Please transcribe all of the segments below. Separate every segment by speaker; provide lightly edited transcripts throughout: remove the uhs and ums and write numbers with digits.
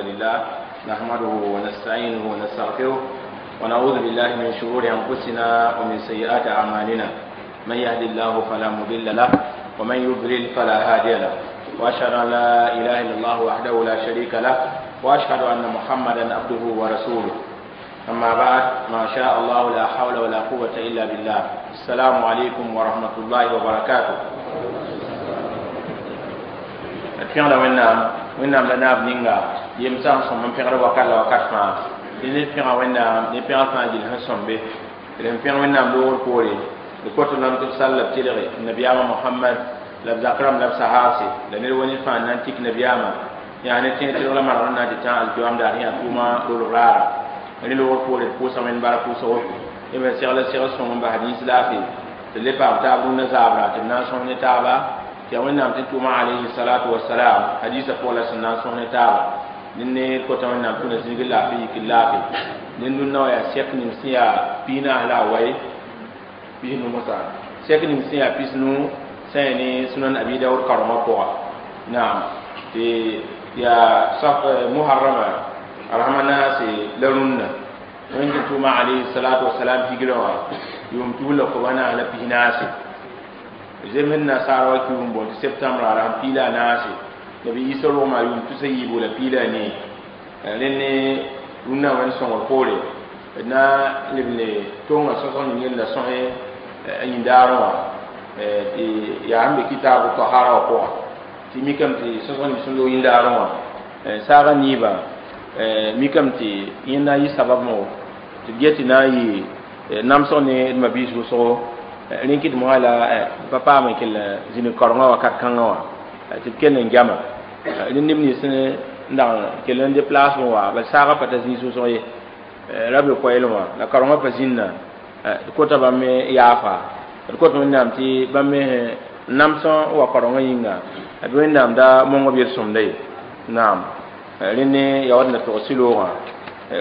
Speaker 1: لله نحمده ونستعينه ونستغفره ونعوذ بالله من شرور أنفسنا ومن سيئات أعمالنا. من يهد الله فلا مضل له ومن يضلل فلا هادي له، وأشهد أن لا إله إلا الله وحده لا شريك له، وأشهد أن محمدا عبده ورسوله. أما بعد، ما شاء الله لا حول ولا قوة إلا بالله. السلام عليكم ورحمة الله وبركاته. Pẽgda Wẽnnaam, Wẽnnaam la naab ninga yemsã n sõm n pẽgd wakat la wakat fãa. Tɩ ned pẽga Wẽnnaam ne pẽgr fãa gill sẽn sõmbe. D sẽn pẽg Wẽnnaam loogr poore, d kot lame tɩ b sall la b tɩlge nabiyaamã Mohamad la b zak rãmb la b sahaase la ned wa ned fãa n na n tik nabiyaamã yaa ne tẽeg tɩlg la manegr n na n tɩ tã alkiyoam daar sẽn yaa tʋʋma rolg raara. Rẽ loogr poore, d pʋʋsa Wẽnd bark pʋʋsgo b sẽn segl segl sõng n bas rĩis laafɩ tɩ le paam taab rũndã zaabra tɩ b na n sõs ne taaba. Tɩ yaa Wẽnnaam tɩ tʋʋma alayhi salatu wasalam hadiisã pʋgã la sẽn na n sõs ne taaba. Ned ne kota Wẽnnaam tʋna zĩig laafɩ yik laafɩ. Ned rũndã wã yaa sɛk ning sẽn yaa piinaas la a waye pisnu mosã, sɛk ning sẽn yaa pisnu sã ne Sunan Abi Daoud karengã pʋga. Naam, tɩ yaa muharrama arhama naase la rũndã Wẽnd tɩ tʋʋma alayhi salatu wasalam higrã wã yʋʋm tus la koba naas la pisnaase. Zems nasaara wa kiu n boond tɩ septembre a rasem piila a naase. Nabi Isa rogma yʋʋm tusa yiibu la piila a nee. Rẽnd ne rũndã Wẽnd sõngr poore, d na n leb ne tonga sõsg ning yella sõs a yĩndaarẽ wã tɩ yaa sẽn be kitaabu tahara wã pʋga, tɩ mikame tɩ sõsg ning sẽn loog yĩndaarẽ wã saagã niibã mikame tɩ yẽnd na n yɩ sabab mo tɩ d get tɩ na n yɩ namsg ne d mabiis wʋsgo. Rẽ kɩt mosã la pa paam n kell zĩnig kaorengã wakat kãngã wã tɩ b kell n gama. Rẽ neb nins n dag n kell n déplace n wa bal saagã pa ta zĩis wʋsg ye ra be koɛɛlẽ wã la kaorengã pa zĩnna. D kota bãmb me yaafa, d kot Wẽnnaam tɩ bãmb me namsẽ n wa kaorengã yĩnga d Wẽnnaam da mong b yel-sõmda ye. Naam, rẽ ne yaood na tog sɩloogã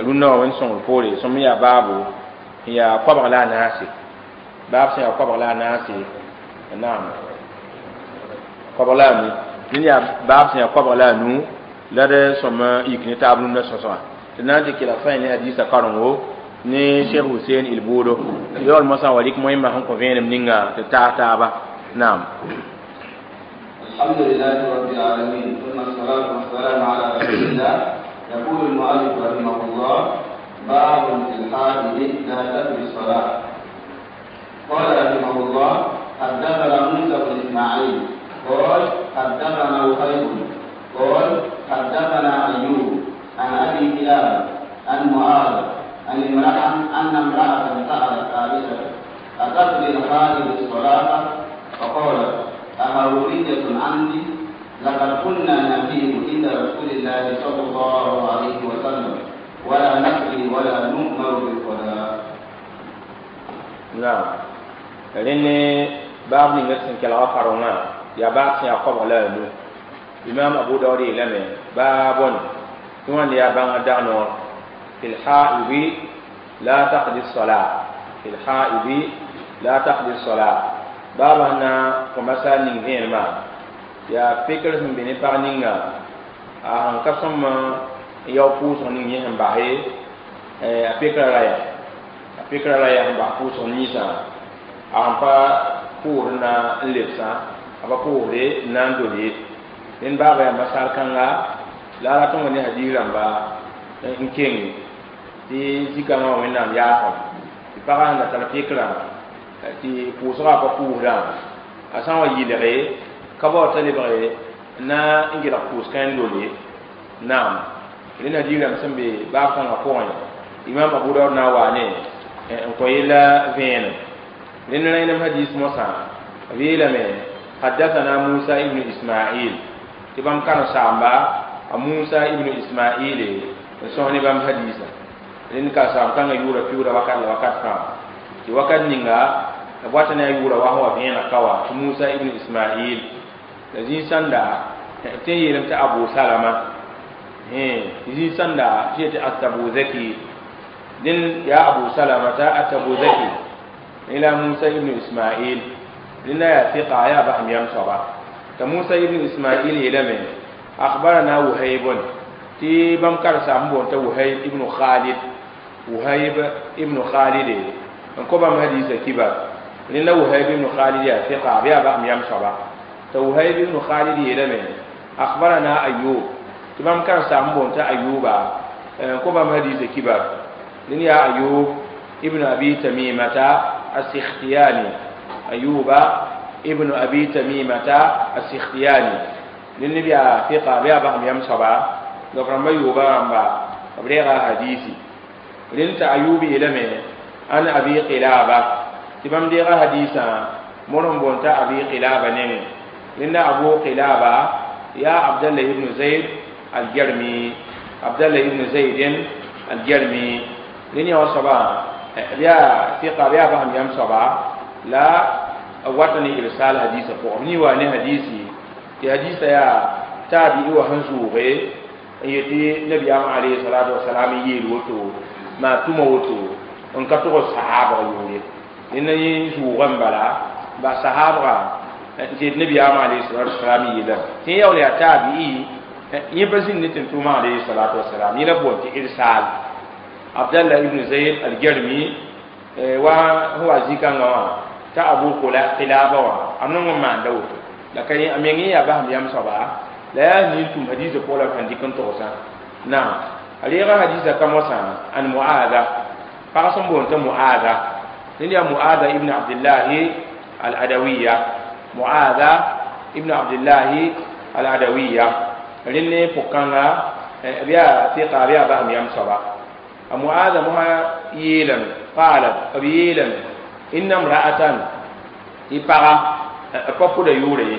Speaker 1: rũndã wã Wẽnd sõngr poore sõm yaa baabo yaa koabg la a naase, baab sẽn yaa koabg la a naase. Naam, koabg la a nu. Rẽnd yaa baab sẽn yaa koabg la a nu la d sõm yik ne taab rũndã sõsga tɩ na n tɩ kelg fãa ne hadiisã karengo ne Cheikh Hussein Ilbuudo yaool mosã wa rɩk moẽmã sẽn kõ vẽenem ninga tɩ taas taaba. Naam.
Speaker 2: الحمد لله رب العالمين، ثم الصلاة والسلام على رسول الله. يقول المؤلف رحمه الله: باب في الحائض لا تقضي الصلاة. قال رحمه الله: حدثنا موسى بن اسماعيل قال حدثنا وهيب قال حدثنا ايوب عن ابي قلابه عن معاذ عن امرأة أن امرأة سألت عائشة: أتقضي الحائض الصلاة؟ فقالت: أهرورية أنت؟ لقد كنا نحيض عند رسول الله صلى الله عليه وسلم ولا نقضي ولا نؤمر بالقضاء.
Speaker 1: Naam, rẽnd ne baab ninga sẽn kelga karengã yaa baab sẽn yaa koabg la a nu. Imam Abu Daud yeelame: baabon tɩ wãnd yaa bãngã dag noor fi lhaidi la taqdi الصلاة, fi lhaidi la taqdi الصلاة. Baaba sẽn na kõ masal ning vẽenemã yaa pekr sẽn be ne pag ninga a sẽn ka sõm n yao pʋʋsg ning yẽ sẽn base a pekrã ra yaa a pekrã ra yaa sẽn bas pʋʋsg ninsã a sẽn pa pʋʋsd na n lebsã a pa pʋʋsde n na n dol ye. Rẽnd baaba yaa masal kãnga la a rat n wa ne hadiis rãmba n kenge tɩ zikãngã wã Wẽnnaam yaasem tɩ pagã sẽn da tar pekrã tɩ pʋʋsgã pa pʋʋsdã a sã n wa yɩlge ka bao t'a lebge na n gelg pʋʋs kãen dol ye. Naam, rẽnd hadiis rãmb sẽn be baab kãngã pʋgẽ, Imam Abu Daud na n wa ne n kõ yella vẽenem. Rẽnd rẽnem hadiis mosã b yeelame: حدثنا موسى ابن إسماعيل, tɩ bãmb karen-saamba a Musa ibn Ismail n sõs ne bãmb hadiisã. Rẽnd ka saam kãngã yʋʋra piuuda wakat la wakat fãa tɩ wakat ninga b wata ne a yʋʋra wa sẽn wa vẽeneg ka wa tɩ Musa ibn Ismail la zĩig sãnda tɩ n yeelame tɩ Abu Salama, zĩig sãnda tɩ yetɩ Atabuzaki. Dẽn yaa Abu Salamata Atabuzaki ila Musa ibn Ismail. Rẽnda yaa fiqa, yaa basem yam soaba. T'a Musa ibn Ismail yeelame: أخبرنا وهيب. Tɩ bãmb karsaam boond t'a Wuhayb ibn Khalid, Wuhayb ibn Khalid n kõ bãmb hadiisã kibar. Rẽnda Wuhayb ibn Khalid yaa fiqa, b yaa basem yam soaba. T'a Wuhayb ibn Khalid yeelame akhbarana Ayub, tɩ bãmb karsaam boond t'a Ayuba n kõ bãmb hadiisã kibar. Rẽnd yaa Ayub ibn Abi Tamimata As-Sikhtiyani, Ayuba ibn Abi Tamimata As-Sikhtiyani. Rẽnd b yaa fiqa, b yaa basem yam soaba. Donc rãmba yooba rãmba b reega hadisi. Rẽnd t'a Ayub yeelame an Abi Qilaba, tɩ bãmb deega hadiisã mor n boond t'a Abi Qilaba nengẽ. Rẽnda Abu Qilaba yaa Abdallah ibn Zayd Aljarmi, Abdallah ibn Zayd Aljarmi. Rẽnd yã wã soaba b yaa fiqa, b yaa basem yam soaba la b wata ne irsal hadiisã pʋgẽ. B nii wa ne hadisi tɩ hadiisã yaa taabi'i wã sẽn zʋʋge n yetɩ nabiyaamã alayhi salatu wasalam n yeel woto maa tʋma woto n ka tʋg sahabg yʋʋre. Rẽnda yẽ zʋʋgã n bala ba sahabga n tɩ yet nabiyaamã alayhi salatu wasalam yeelame tɩ yẽ yaool yaa taabi'i, yẽ pa zĩnd ne tẽn-tʋʋmã alayhi salatu wasalam. Yẽ la boond tɩ irsal. Abdallah ibn Zayd Aljarmi wa sẽn wa zĩ-kãngã wã t'a Abu Qilaba wã a nong n maanda woto la ka a meng yẽ yaa basem yam soaba la yaa nin tʋm hadiisã pʋgã la b sãn dɩk n togsã. Naam, a reega hadiisã ka mosã an Muaada, pag sẽn boond t'a Muaada. Rẽnd yaa Muaada ibn Abdillahi Al-Adawiya, Muaada ibn Abdillahi Al-Adawiya. Rẽnd ne pʋg-kãnga b yaa fiqa, b yaa basem yam soaba. A Muaada mosã yeelame, qaalat, b yeelame inna imra'atan, tɩ paga pa pʋda yʋʋre ye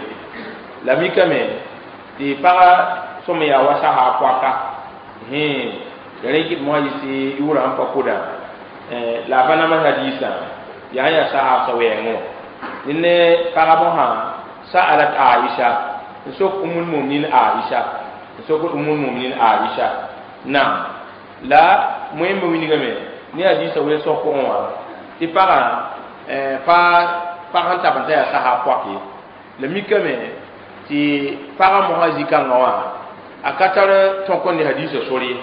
Speaker 1: la mikame tɩ paga sõm yaa wa sasa poaka rẽ kɩt mosã yɩs yʋʋrã n pa pʋdã la a pa nams hadiisã yaa n yaa sahaabsã wɛɛngẽ wã. Ne paga mosã sa'alat Aisha, n sok Ummul Muminin Aisha, n sok Ummul Muminin Aisha. Naam, la moẽmbe wilgame ne hadiisã welsg pʋgẽ wã tɩ pagã pa pag sẽn tab n ta yaa sahaab poak ye. La mikame tɩ pagã mosã zĩ-kãngã wã a ka tar tõk n ne hadiisã sor ye,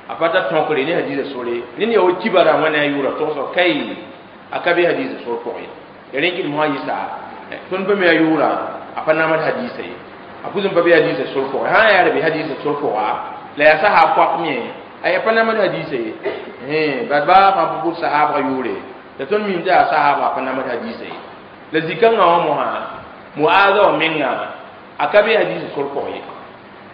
Speaker 1: a pa tar tõkre ne hadiisã sor ye. Rẽnd yaa wa kibara wã ne a yʋʋra togsg kai a ka be hadiisã sor pʋgẽ ye. Ya rẽ kɩd mosã yɩsa tõnd pa me a yʋʋra a pa namd hadiisã ye, a pʋs n pa be hadiisã sor pʋgẽ. Sã n yaa ra be hadiisã sor pʋga la yaa sahaab poak me a yaa pa namd hadiisã ye. Bad baa fãa pa pʋd sahaabga yʋʋre la tõnd mim tɩ yaa sahaabga a pa namd hadiisã ye. La zĩ-kãngã wã mosã Muaada wã menga a ka be hadiisã sor pʋgẽ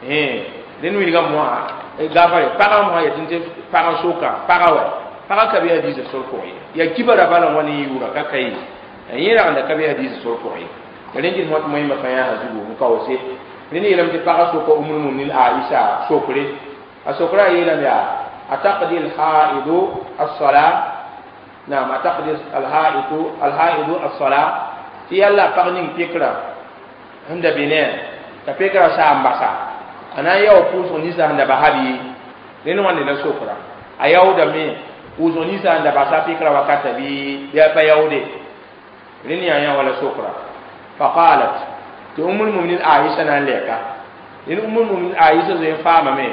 Speaker 1: ye. Rẽnd wilgã mosã gafare pagã mosã yetɩ tɩ pagã soka paga wa pagã ka be hadiisã sor pʋgẽ ye, yaa kibara bala wã ne yʋʋra ka ka ye yẽ ragenda ka be hadiisã sor pʋgẽ ye. Rẽnd kɩt mosã tɩ moẽmba fãa yaa zugu n kaoose. Rẽnd yeelame tɩ pagã soka Ummul Muminin Aisha sokre, a sokra a yeelame yaa ataqdi alhaidu as-sala, naam, ataqdi alhaidu as-sala, tɩ yalla pag ning pekra sẽn da be ne t'a pekra saa n basa a na n yao pʋʋsg ninsã sẽn da basa bɩ. Rẽnd wãnde la sokra a yaoodame pʋʋsg ninsã sẽn da basa pekra wakata bɩ a pa yaoode. Rẽnd yaa yã wala sokra. Faqalat, tɩ Ummul Muminin Aisha na n lɛka. Rẽnd Ummul Muminin Aisha zoe n faamame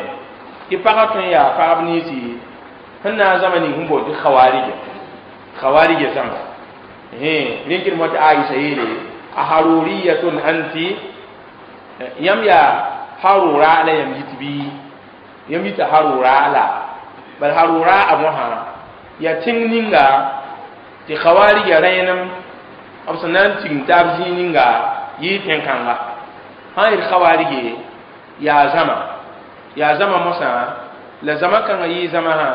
Speaker 1: tɩ pagã tõe n yaa pagb ninsi sẽn na n zãma ning sẽn boond tɩ khawarija, khawarija zãma. Rẽnd kɩd tɩ Aisha yeele a haruriyatun anti, yãmb yaa harura la yãmb yit bɩ yãmb yita harura la bal harura a mosã yaa tẽng ninga tɩ khawarija rẽenem b sẽn na n tigim taab zĩig ninga yɩɩ tẽn-kãnga. Sã n yet khawarige yaa zãma, yaa zãma mosã la zãma kãngã yɩɩ zãmasã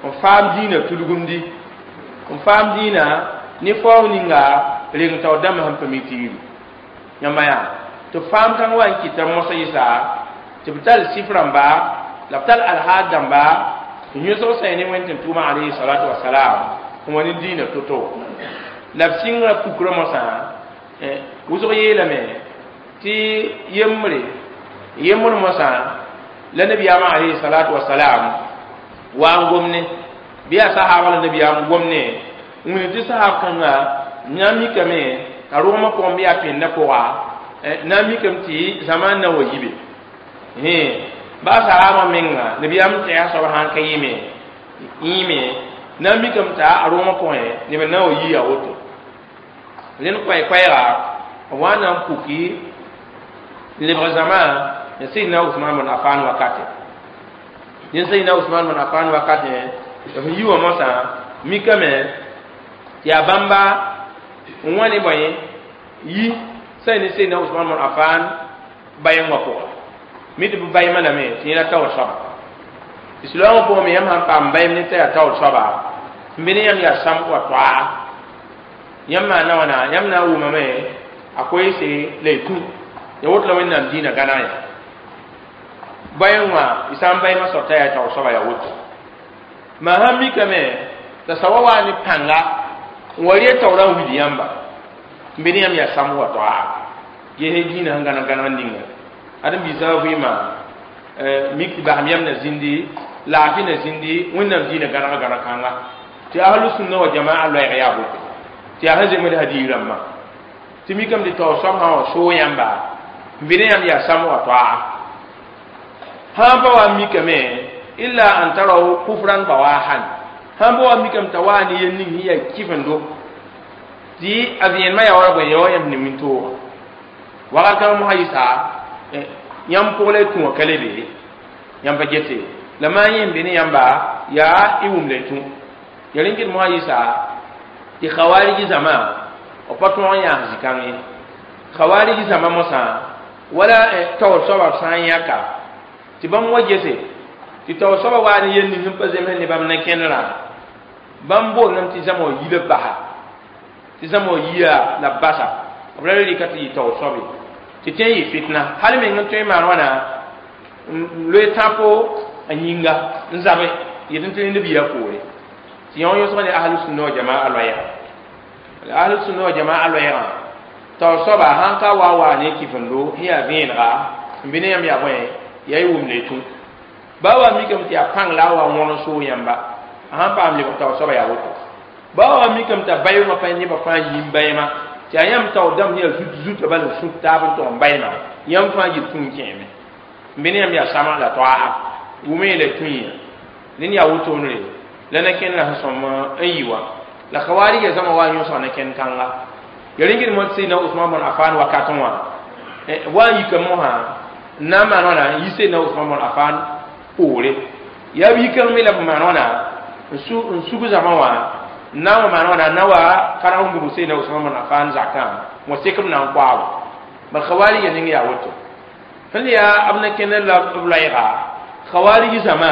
Speaker 1: n faam dĩinã tudgumdi, n faam dĩinã ne faoog ninga reng taoor dãmb sẽn pa mi tɩ yiru yãmba yaa tɩ faam kãng wa n kɩta mosã yɩsa tɩ b tall sif rãmba la b tall alhaad dãmba tɩ yõsg sã ne wẽnd tẽn-tʋʋmã alayhi salatu wasalam n wa ne dĩinã to-to la b sɩngrã pukrã mosã wʋsg yeelame tɩ yembre yembr mosã la nabiyaamã alayhi salatu wasalam wa n gomne bɩ yaa sahaabã la nabiyaam gomne n wilg tɩ sahaab kãnga na n mikame t'a rogmã pʋgẽ bɩ yaa pẽndã pʋga na n mikame tɩ zãmaan na wa yibe. Ba sahaba menga nabiyam tɩ a soab sãn ka yɩme yĩime na n mikame t'a a rʋʋmã pʋgẽ neb n na n wa yii a woto rẽnd koɛɛ-koɛɛga b wa n na n puki n lebg zãma n Sayyidina Usman bn Affan wakate dẽn Sayyidina Usman bn Affan wakate b sẽn yi wã mosã mikame tɩ yaa bãmba n wa ne bõe yi sã ne Sayyidina Usman bn Affan bayẽ wã pʋga mi tɩ b bayma lame tɩ yẽla taoor soaba tɩ silaoongã pʋgẽ me yãmb sãn paam bayem ne t'a yaa taoor soaba n be ne yãmb yaa sãmb wa toaa yãmb maana wãna yãmb na n wʋmame a koeese la y tũ ya woto la Wẽnnaam dĩinã gãneg ya bayẽ wã y sã n bayma soab t'a yaa taoor soaba yaa woto maa sãn mikame t'a sawa waa ne pãnga n wa rɩ taoorã n wilg yãmba n be ne yãmb yaa sãmb wa toaa gesẽ dĩinã sẽn gãneg gãneg ninga ãdem-biisã vɩɩmã mik tɩ basem yam na zĩndi laafɩ na zĩndi Wẽnnaam dĩinã gãneg gãneg kãnga tɩ ahlu sunna wa jamaa loɛɛg yaa woto tɩ yaa sẽn zems hadiis rãmbã tɩ mikame tɩ taoor soab sã n wa soog yãmba n be ne yãmb yaa sãmb wa toaa sãn pa wa n mikame illa an taraw kufran bawahan sãn pa wa n mikame t'a waa ne yel ning sẽn yaa kɩfendo tɩ a vẽenemã yaa wala bõe ya wa yãmb ne wĩntooga wakat kãng mosã yɩsa yãmb pʋg la y tũ wã ka le be yãmb pa gete la maa yẽ n be ne yãmba yaa y wʋm la y tũ ya rẽn kɩt mosã yɩsa tɩ khawariji zãma b pa tõog n yãas zĩ-kãng ye khawariji zãma mosã wala taoor soaba b sã n yãka tɩ bãmb wa gese tɩ taoor soaba waa ne yel ning sẽn pa zems ne bãmb na-kẽnerã bãmb boondame tɩ zãma wã yi la basa tɩ zãma wã yiya la basa b ra rɩka tɩ yɩ taoor soab ye tɩ tẽ n yɩ fitna hal meng n tõe n maan wãna n loe tãpo a yĩnga n zabe yetɩ n tɩ rẽnd b yia poore tɩ yõ yõsg ne ahlu sunna wa jamaa loɛɛga ahlu sunna wa jamaa loɛɛgã taoor soaba sãn ka wa wa ne kɩfendo sẽn yaa vẽenega n be ne yãmb yaa bõe yaa y wʋm la y tũ ba wa mikame tɩ yaa pãng la a wa wõn n soog yãmba a sãn paam lebg taoor soaba yaa woto ba wa mikame t'a bayʋngã pa nebã fãa yĩm bayma tɩ yaa yãmb taoor dãmb sẽn yaa zut zutã bala n sũk taab n tog n bayma yãmb fãa yɩl tũ n kẽeme n be ne yãmb yaa sãma la toaa wʋme la tũ yã ned yaa wotone la na-kẽndrã sẽn sõm n yi wã la khawarija zãma wa n yõsg na-kẽnd kãnga ya rẽn mo Sayyidina Usman bn Affan wakatẽ wã wa n yika mosã n na n maan wãna n yi Sayyidina Usman bn Affan poore yaa b yikãng me la b maan wãna n sug zãma wã n na n wa maan wãna n na wa karg n bug Sayyidina Usman bn Affan zakã wã sek b na n koaabo bal khawarija ning yaa woto sẽn yaa b na-kẽndr la b loɛɛga khawarij zãma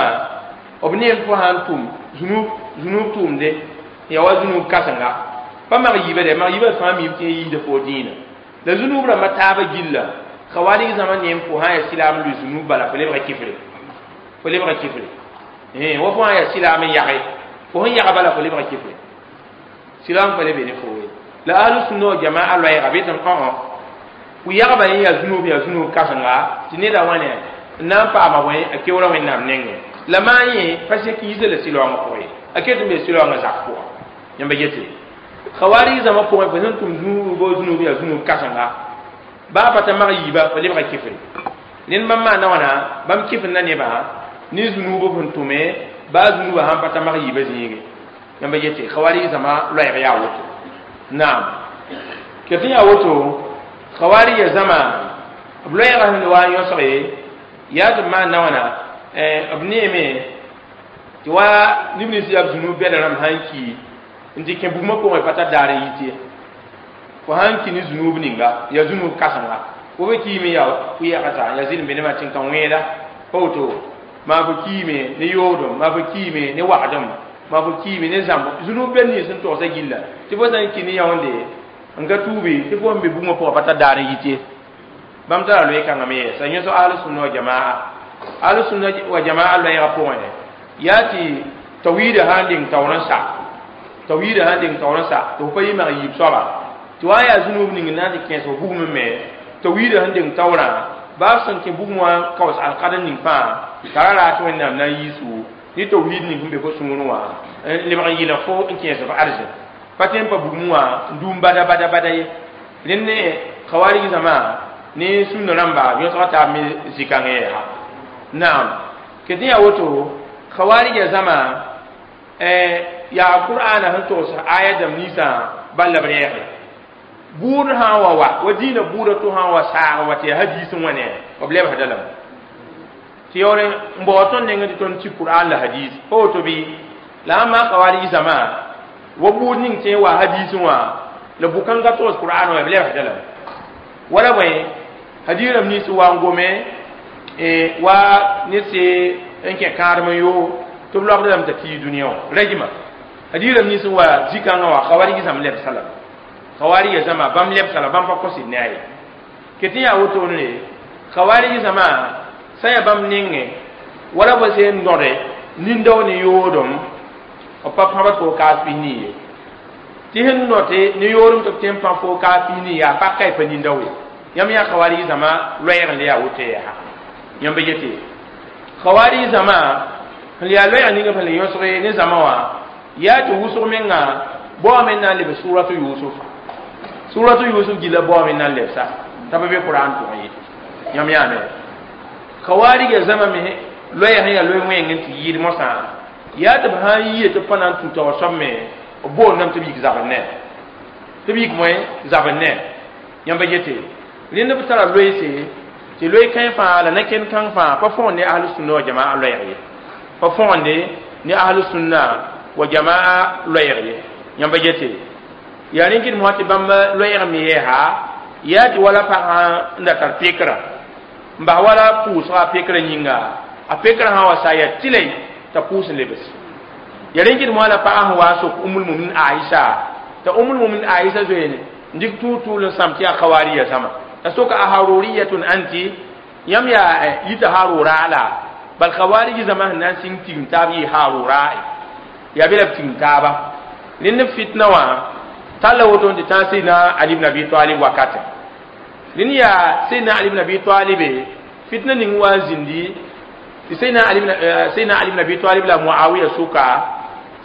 Speaker 1: b neem tɩ sã n tʋm zunub tʋʋmde ya wa zunub kãsenga pa mag yiibã dɛ mag yiibã fãa miim tɩ yiisda fo dĩinã la zunub rãmbã taabã gilla khawarij zãma neem fo sã n yaa sɩlaam n lʋɩ zunub bala fo lebga kifre fo lebga kifre wa fo sã n yaa sɩlaam n yage fo sẽn yaga bala fo lebga kifre sɩlaam pa le be ne fo ye la ahlu sunna wa jamaa loɛɛga bɩ tɩ õ ku yagba yẽ yaa zunub kãsenga tɩ neda wãne n na n paama bõe a keoora Wẽnnaam nengẽ la maa yẽ pa sek yiisa la sɩlaoongã pʋgẽ ye a ket n be sɩlaoongã zak pʋga yãmba gete khawarij zãma pʋgẽ fo sẽn tʋm zũub zunub yaa zunub kãsenga baa pa ta mag yiiba fo lebga kifre ned bãmb maanda wãna bãmb kifenda nebã ne zunub sẽn tʋme baa zunubã sãn pa ta mag yiibã zĩige yãmba gete khawarij zãma loɛɛg yaa woto naam ket n yaa woto khawarij zãma b loɛɛgã sẽn wa n yõsge yaa tɩ b maanda wãna b neeme tɩ wa neb nins yaa b zunub bɛda rãmb sã n ki n tɩ kẽ bugmã pʋgẽ pa tar daar n yit ye fo sãn ki ne zunub ninga yaa zunub kãsenga fo be kiime yaa pʋ-yɛgsa yaa zɩlem be nebã tɩ n ka wẽeda pa woto maa fo kiime ne yoodem maa fo kiime ne wagdem maa fo kiime ne zãmb zunub bɛd nins sẽn togsã gilla tɩ fo sã n ki ne yaoonde n ka tuubi tɩ fo n be bugmã pʋgã pa tar daar n yit ye bãmb tara loe kãngã me yɛɛsa yẽsg ahlu sunna wa jamaa ahlu sunna wa jamaa loɛɛgã pʋgẽ yaa tɩ tawhiidã sã n deng taoor n sa tawhiidã sã n deng taoor n sa tɩ fo pa yɩ mag yiib soaba tɩ wa n yaa zunub ning n na n tɩ kẽes fo bugmẽ me tawhiidã sẽn deng taoorã baa b sẽn kẽ bugum wã kaoos alkadr ning fãa t'a ra raat Wẽnnaam na n yiisu ne tawhiid ning sẽn be fo sũurẽ wã n lebg n yɩlg fo n kẽes f arzẽ pa tõe n pa bugum wã n dũum bada bada bada ye rẽnd ne khawarij zãma ne sũnna rãmba yõsga taab me zĩ-kãngẽ yɛɛga Naam ke tɩ yaa woto khawarija zãma yaa qur'ana sẽn togs aya dãmb ninsã bal la b reege buud sã n wa wa dĩinã buudã to sã n wa saag wa tɩ yaa hadiis n wa ne b lebsda lame tɩ yaool n baood tõnd nengẽ tɩ tõnd tɩ qur'an la hadiis pa woto bɩ la sãn maan khawarij zãma wa buud ning tẽ n wa hadiisẽ wã la bʋ-kãngã togs qur'an wã b lebsda lame wala bõe hadiis rãmb nins wa n gome wa ned se n kẽ kãadem n yo tɩ b loabda lame t'a kii dũniyã wã rajma hadiis rãmb nins n wa zĩ-kãngã wã khawarij zãmb lebsa lame khawarij zãma bãmb lebsa la bãmb pa kos ne a ye ket n yaa wotone khawarij zãma sã yaa bãmb nengẽ wala ba sẽn node nindao ne yoodem b pa pãbd fo kaas pis-nii ye tɩ sẽn note ne yoodem tɩ b tõe n pã fo kaas pis-nii yaa paka y pa nindao ye yãmb yaa khawarij zãma loɛɛg n le yaa woto yaa yãmb ba yete khawarij zãma sẽn yaa loɛɛg ninga sẽn le yõsge ne zãma wã yaa tɩ wʋsg menga baoame n na n leb suratu Yusuf suratu Yusuf gilla baoame n na n lebsa t'a pa be Qur'an pʋgẽ ye yãmb yaame khawarija zãma me loɛɛ sẽn yaa loe wẽng n tɩ yɩɩd mosã yaa tɩ b sã n yie tɩ b pa na n tũ taoor soab me b boondame tɩ b yik zabr ne tɩ b yik moẽ zabr ne yãmba yete rẽnd b tara loeese tɩ loe kãe fãa la na-kẽnd kãng fãa pa fõgen ne ahl-sunna wa jamaa loɛɛg ye pa fõgende ne ahl-sunna wa jamaa loɛɛg ye yãmba yete yaa rẽ kɩd mosã tɩ bãmb loɛɛg me yɛɛsa yaa tɩ wala pagã n da tar pekra n bas wala pʋʋsga a pekrã yĩnga a pekrã sã wa sa yaa tɩlɛ t'a pʋʋs n lebs yaa rẽ kɩd mosã la pagã sẽn wa n sok Ummul Muminin Aisha t'a Ummul Muminin Aisha zoeene n dɩk tʋʋg-tʋʋl n sãm tɩ yaa khawariya zãma t'a soka a haruriyatun anti yãmb yaa yita harura la bal khawarij zãma sẽn na n sɩng tigim taab yɩ harura yaa be la b tigim taaba rẽnd fitna wã talla woto tɩ tãag Seydina Ali ibn Abi Talib wakate rẽnd yaa Seydina Ali ibn Abi Talib fitna ning wa n zĩndi tɩ Seydina Ali ibn Abi Talib la Muawiya sʋka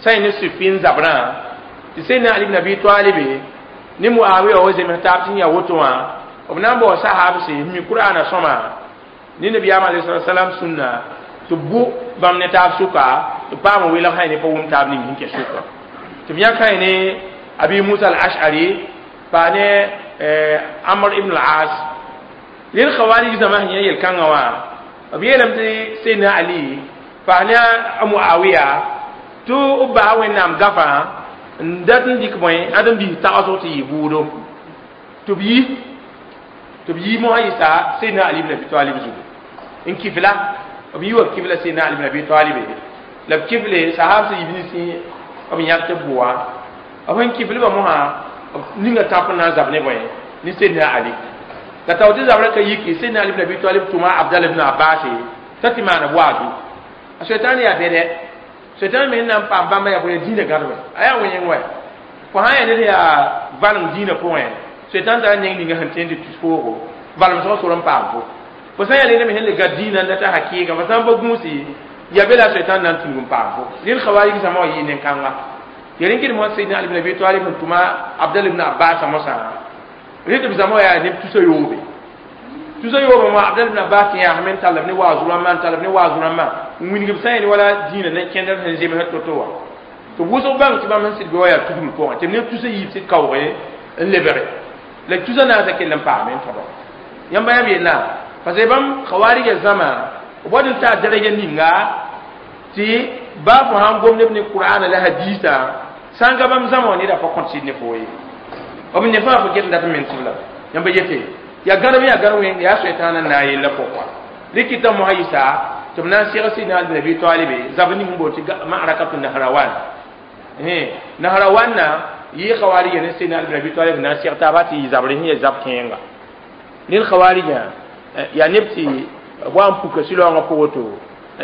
Speaker 1: sã ne Siffin zabrã tɩ Seydina Ali ibn Abi Talib ne Muawiya wa zems taab tɩ yaa woto wã b na n bao sahabse n mi Qur'ana sõma ne nabiyaam alayhi salam sũnna tɩ b bʋ bãmb ne taab sʋka tɩ paam n welg sã ne pa wʋm taab ning sẽn kɛ sʋka tɩ b yãk sã ne Abi Musa al-Ash'ari pa ne Amr ibn al-As rẽnd khawarij zãma sẽn yã yel-kãngã wã b yeelame tɩ Seydina Ali pa ne a Muawiya tɩ b basa Wẽnnaam gafã n dat n dɩk bõe ãd n bis tagsg tɩ yɩ bʋʋdo tɩ b yi mosã yɩsa Seydina Ali ibn Abi Talib zugu n kifla b yi wa b kifla Seydina Ali ibn Abi Talib la b kifle sahab sẽn yib ninsẽ b yãk tɩ b bʋa b sẽn kiflba mosã ninga tãp n na n zab ne bõe ne Seydina Ali la tao tɩ zabrã ka yiki Seydina Ali ibn Abi Talib tʋma Abdallah ibn Abbas t'a tɩ maana waazu a Sʋɩtãan yaa bɛdɛ Sʋɩtãan me n na n paam bãmba yaa bõe dĩinã gãdba a yaa wẽng wɛ fo sã n yaa ned yaa valem dĩinã pʋgẽ Sʋɩtãan tara neng ninga sẽn tõe n tɩ tus foogo valemsgã sor n paam fo fo sã n yaa ned me sẽn le gad dĩinã n data hakɩɩga fo sã n pa gũusi ya be la Sʋɩtãan na n tũud n paam fo rẽnd khawarij zãma wã yɩ nen-kãnga ya rẽn kɩd mosã Seydina Ali ibn Abi Talib sẽn tʋma Abdallah ibn Abbas mosã rẽ tɩ b zãma wã yaa neb tusa yoobe tusa yoobe wã Abdallah ibn Abbas tɩ yãasme n tall b ne waazu rãmbã n tall b ne waazu rãmbã n wilg b sã n wala dĩinã ne kẽndr sẽn zems to-to wã tɩ wʋsg bãng tɩ bãmb sẽn sɩd be wã yaa tugl pʋgẽ tɩ b neb tusa yiib sɩd kaooge n lebge la tusa naasã kell n paame n tõdo yãmba yãmb yella parce que bãmb khawarija zãma b wad n taa daraja ninga tɩ baa fo sãn gom neb ne Qur'ana la hadiisa sã n ka bãmb zãma wã neda pa kõt sɩd ne fo ye b ne fãa fo get n dat n menesb la yãmba yete yaa gãnem yaa gãnem wẽng yaa Sʋɩtãana n na n yella pʋgẽ rɩkɩta mosã yɩsa tɩ b na n seg Seydina Ali ibn Abi Talib zab ning n boond tɩ ma'arakatu Nahrawan Nahrawan na yɩ khawarija ne Seydina Ali ibn Abi Talib na n seg taaba tɩ yɩ zabr sẽn yaa zab kẽenga rẽnd khawarija yaa neb tɩ b wa n puka sɩlaoongã pʋgẽ to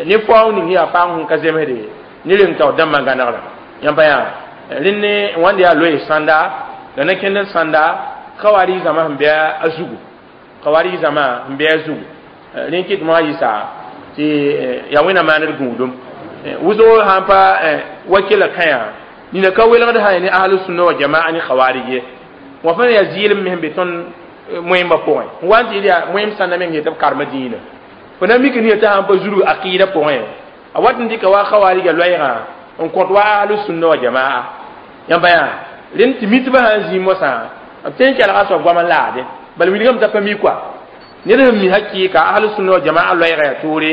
Speaker 1: ne faoong ning yaa paam sẽn ka zemsde ne reng taoor dãmbã gãnegrã yãmba yaa rẽnd ne wãnd yaa loe sãnda la na-kẽnd n sãnda khawarij zãma sẽn bɩ a zugu khawarij zãma sẽn bɩ a zugu rẽn kɩt mosã yɩsa tɩ yaa wẽnnaam maaned gũudum wʋsgo sãn pa wa kela kãyã nina ka welgd sã ne ahlu sunna wa jamaa ne khawarij ye wã fãa yaa zɩɩlem me sẽn be tõnd moẽmbã pʋgẽ n wa n tɩ yaa moẽm sãnda meng yetɩ b karema dĩinã Fo na mik ne t'a sãn pa zulg aqɩɩdã pʋgẽ a wat n dɩka wa khawarija loɛɛgã n kõt wa ahlu sunna wa jamaa yãmba yaa rẽnd tɩ mitbã sã n zĩig mosã b tõe n kelga soab goam n laade bala wilgame t'a pa mi koa ned sẽn mi hakɩɩka ahlu sunna wa jamaa loɛɛgã yaa toore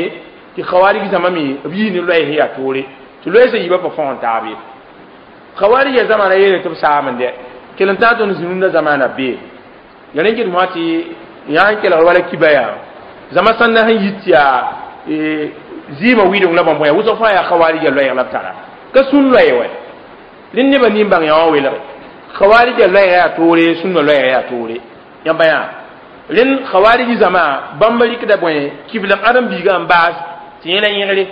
Speaker 1: tɩ khawarij zãma me b yii ne loɛɛs yaa toore tɩ loɛɛsã yiibã pa fõgen taab ye khawarija zãma ra yeele tɩ b saam n dɛ kell n tãag tõnd zĩrũndã zamaana bee ya rẽ get mosã tɩ yã n kelgr wala kiba yaa zãma sãnda sẽn yit tɩ yaa zɩɩmã wɩdeng la bãmb yaa wʋsg fãa yaa khawarija loɛɛg la b tara ka sũn loɛɛ wɛ rẽnd nebã nin-bãng yã wã welge khawarija loɛɛga yaa toore sũnna loɛɛga yaa toore yãmba yaa rẽnd khawarij zãma bãmb rɩkda bõe kiflem ãdem-biigã n baas tɩ yẽla yẽgre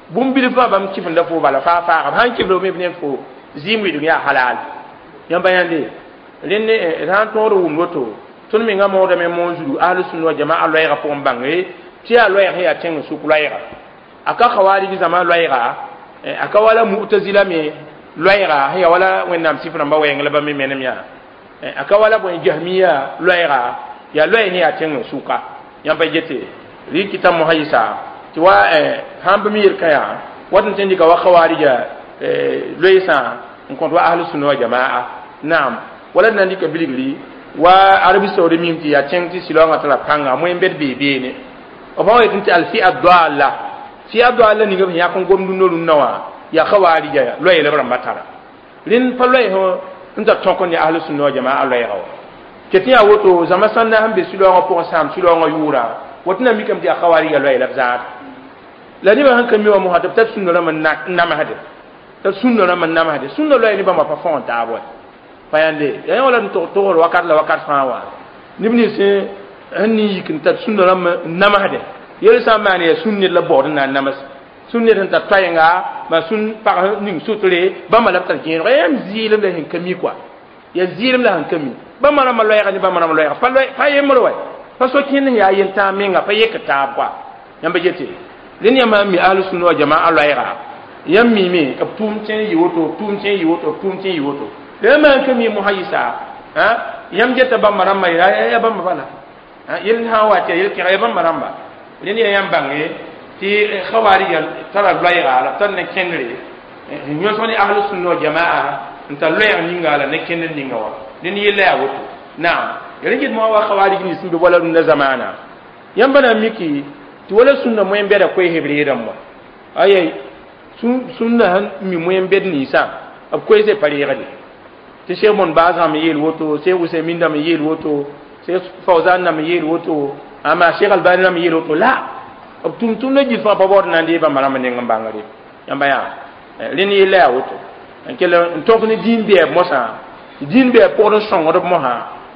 Speaker 1: bũmb bilf fãa bãmb kifenda fo bala faa faaga b sãn kifl me b ned fo zɩɩm wɩdg yaa halal yãmba yãnde rẽnd d sã n tõod wʋmd woto tõnd mengã moodame moon zulu ahlu sunna wa jamaa loɛɛgã pʋgẽ bãnge tɩ yaa loɛɛg sẽn yaa tẽng sʋk loɛɛga a ka khawarij zãma loɛɛga a ka wala mu'tazila me loɛɛga sẽn yaa wala wẽnnaam sɩf rãmbã wɛɛng la bãmb me menem yaa a ka wala bõe jahmiya loɛɛga yaa loɛɛ sẽn yaa tẽng sʋka yãmba gete rɩkɩta mosã yɩsa tɩ wa sãn bɩ me yel-kã yaa wat n tõe n dɩka wa khawarija loeesã n kõt wa ahlu sunna wa jamaa naam wala d na n dɩka bilgri wa arabi saoudi mim tɩ yaa tẽng tɩ silaoongã tara pãnga moẽ bed bee beene b sã wa yetɩ tɩ alfia doala fia doala ninga b sẽn yãk n gomd rũndã wã yaa khawarija loɛɛ la b rãmbã tara rẽnd pa loɛɛ sẽn tar tõk n ne ahlu sunna wa jamaa loɛɛga wa ket yaa woto zãma sãnda sẽn be silaoongã pʋgẽ sãam silaoongã yʋʋra woto na mikame tɩ yaa khawarija loɛɛ la b zãad la nebã sẽn ka mi wã mosã tɩ b tar sũnna rãmb n namsde tɩ sũnna rãmb n namsde sũnna loɛɛ ne bãmba pa fõgen taab wa pa yãnde yaa yẽ wala n tog-togr wakat la wakat fãa wã neb nins sẽn nin yik n tar sũnna rãmb n namsde yel sã n maan yaa sũn ned la baood n na n nams sũn ned sẽn tar toaenga maa sũn pag ning sutre bãmba la b tar gẽeneg yãmb zɩɩlem la sẽn ka mi koa yaa zɩɩlem la sẽn ka mi bãmba rãmbã loɛɛga ne bãmba rãmba loɛɛga pa yembr wɛ pa so kẽnd sẽn yaa yel-tãag menga pa yek taab koa yãmba gete rẽnd yãmba n mi ahlu sunna wa jamaa loɛɛga yãmb miime b tʋʋm tẽ n yɩ woto b tʋʋm tẽ n yɩ woto b tʋʋm tẽ n yɩ woto la yãmb n ka mi mosã yɩsa yãmb geta bãmba rãmbã yaa bãmba bala yel sã n wa tɩ yel kẽga ya bãmba rãmba rẽnd yaa yãmb bãnge tɩ khawarija tara loɛɛga la b tar ne kẽndre n yõsg ne ahlu sunna wa jamaa n tar loɛɛg ninga la ne kẽndr ninga wã rẽnd yella yaa woto naam ya rẽ get mosã wa khawarij nins n be wala rũndã zamaana yãmba na n miki tɩ wala sũnna moẽ bɛda koees b reedame wã aya sũnna sẽn mi moẽ bɛd ninsã b koeese pa reegde tɩ Cheikh Bon Baaz me yeel woto Cheikh Usaymin me yeel woto Cheikh Fawzan me yeel woto ama Cheikh Albani me yeel woto la b tʋm-tʋmdã gil fãa pa baood na n dee bãmba rãmb neng n bãngre yãmba yaa rẽnd yella yaa woto n kell n tõk ne dĩin bɛɛb mosã dĩin bɛɛb pʋgd n sõngd b mosã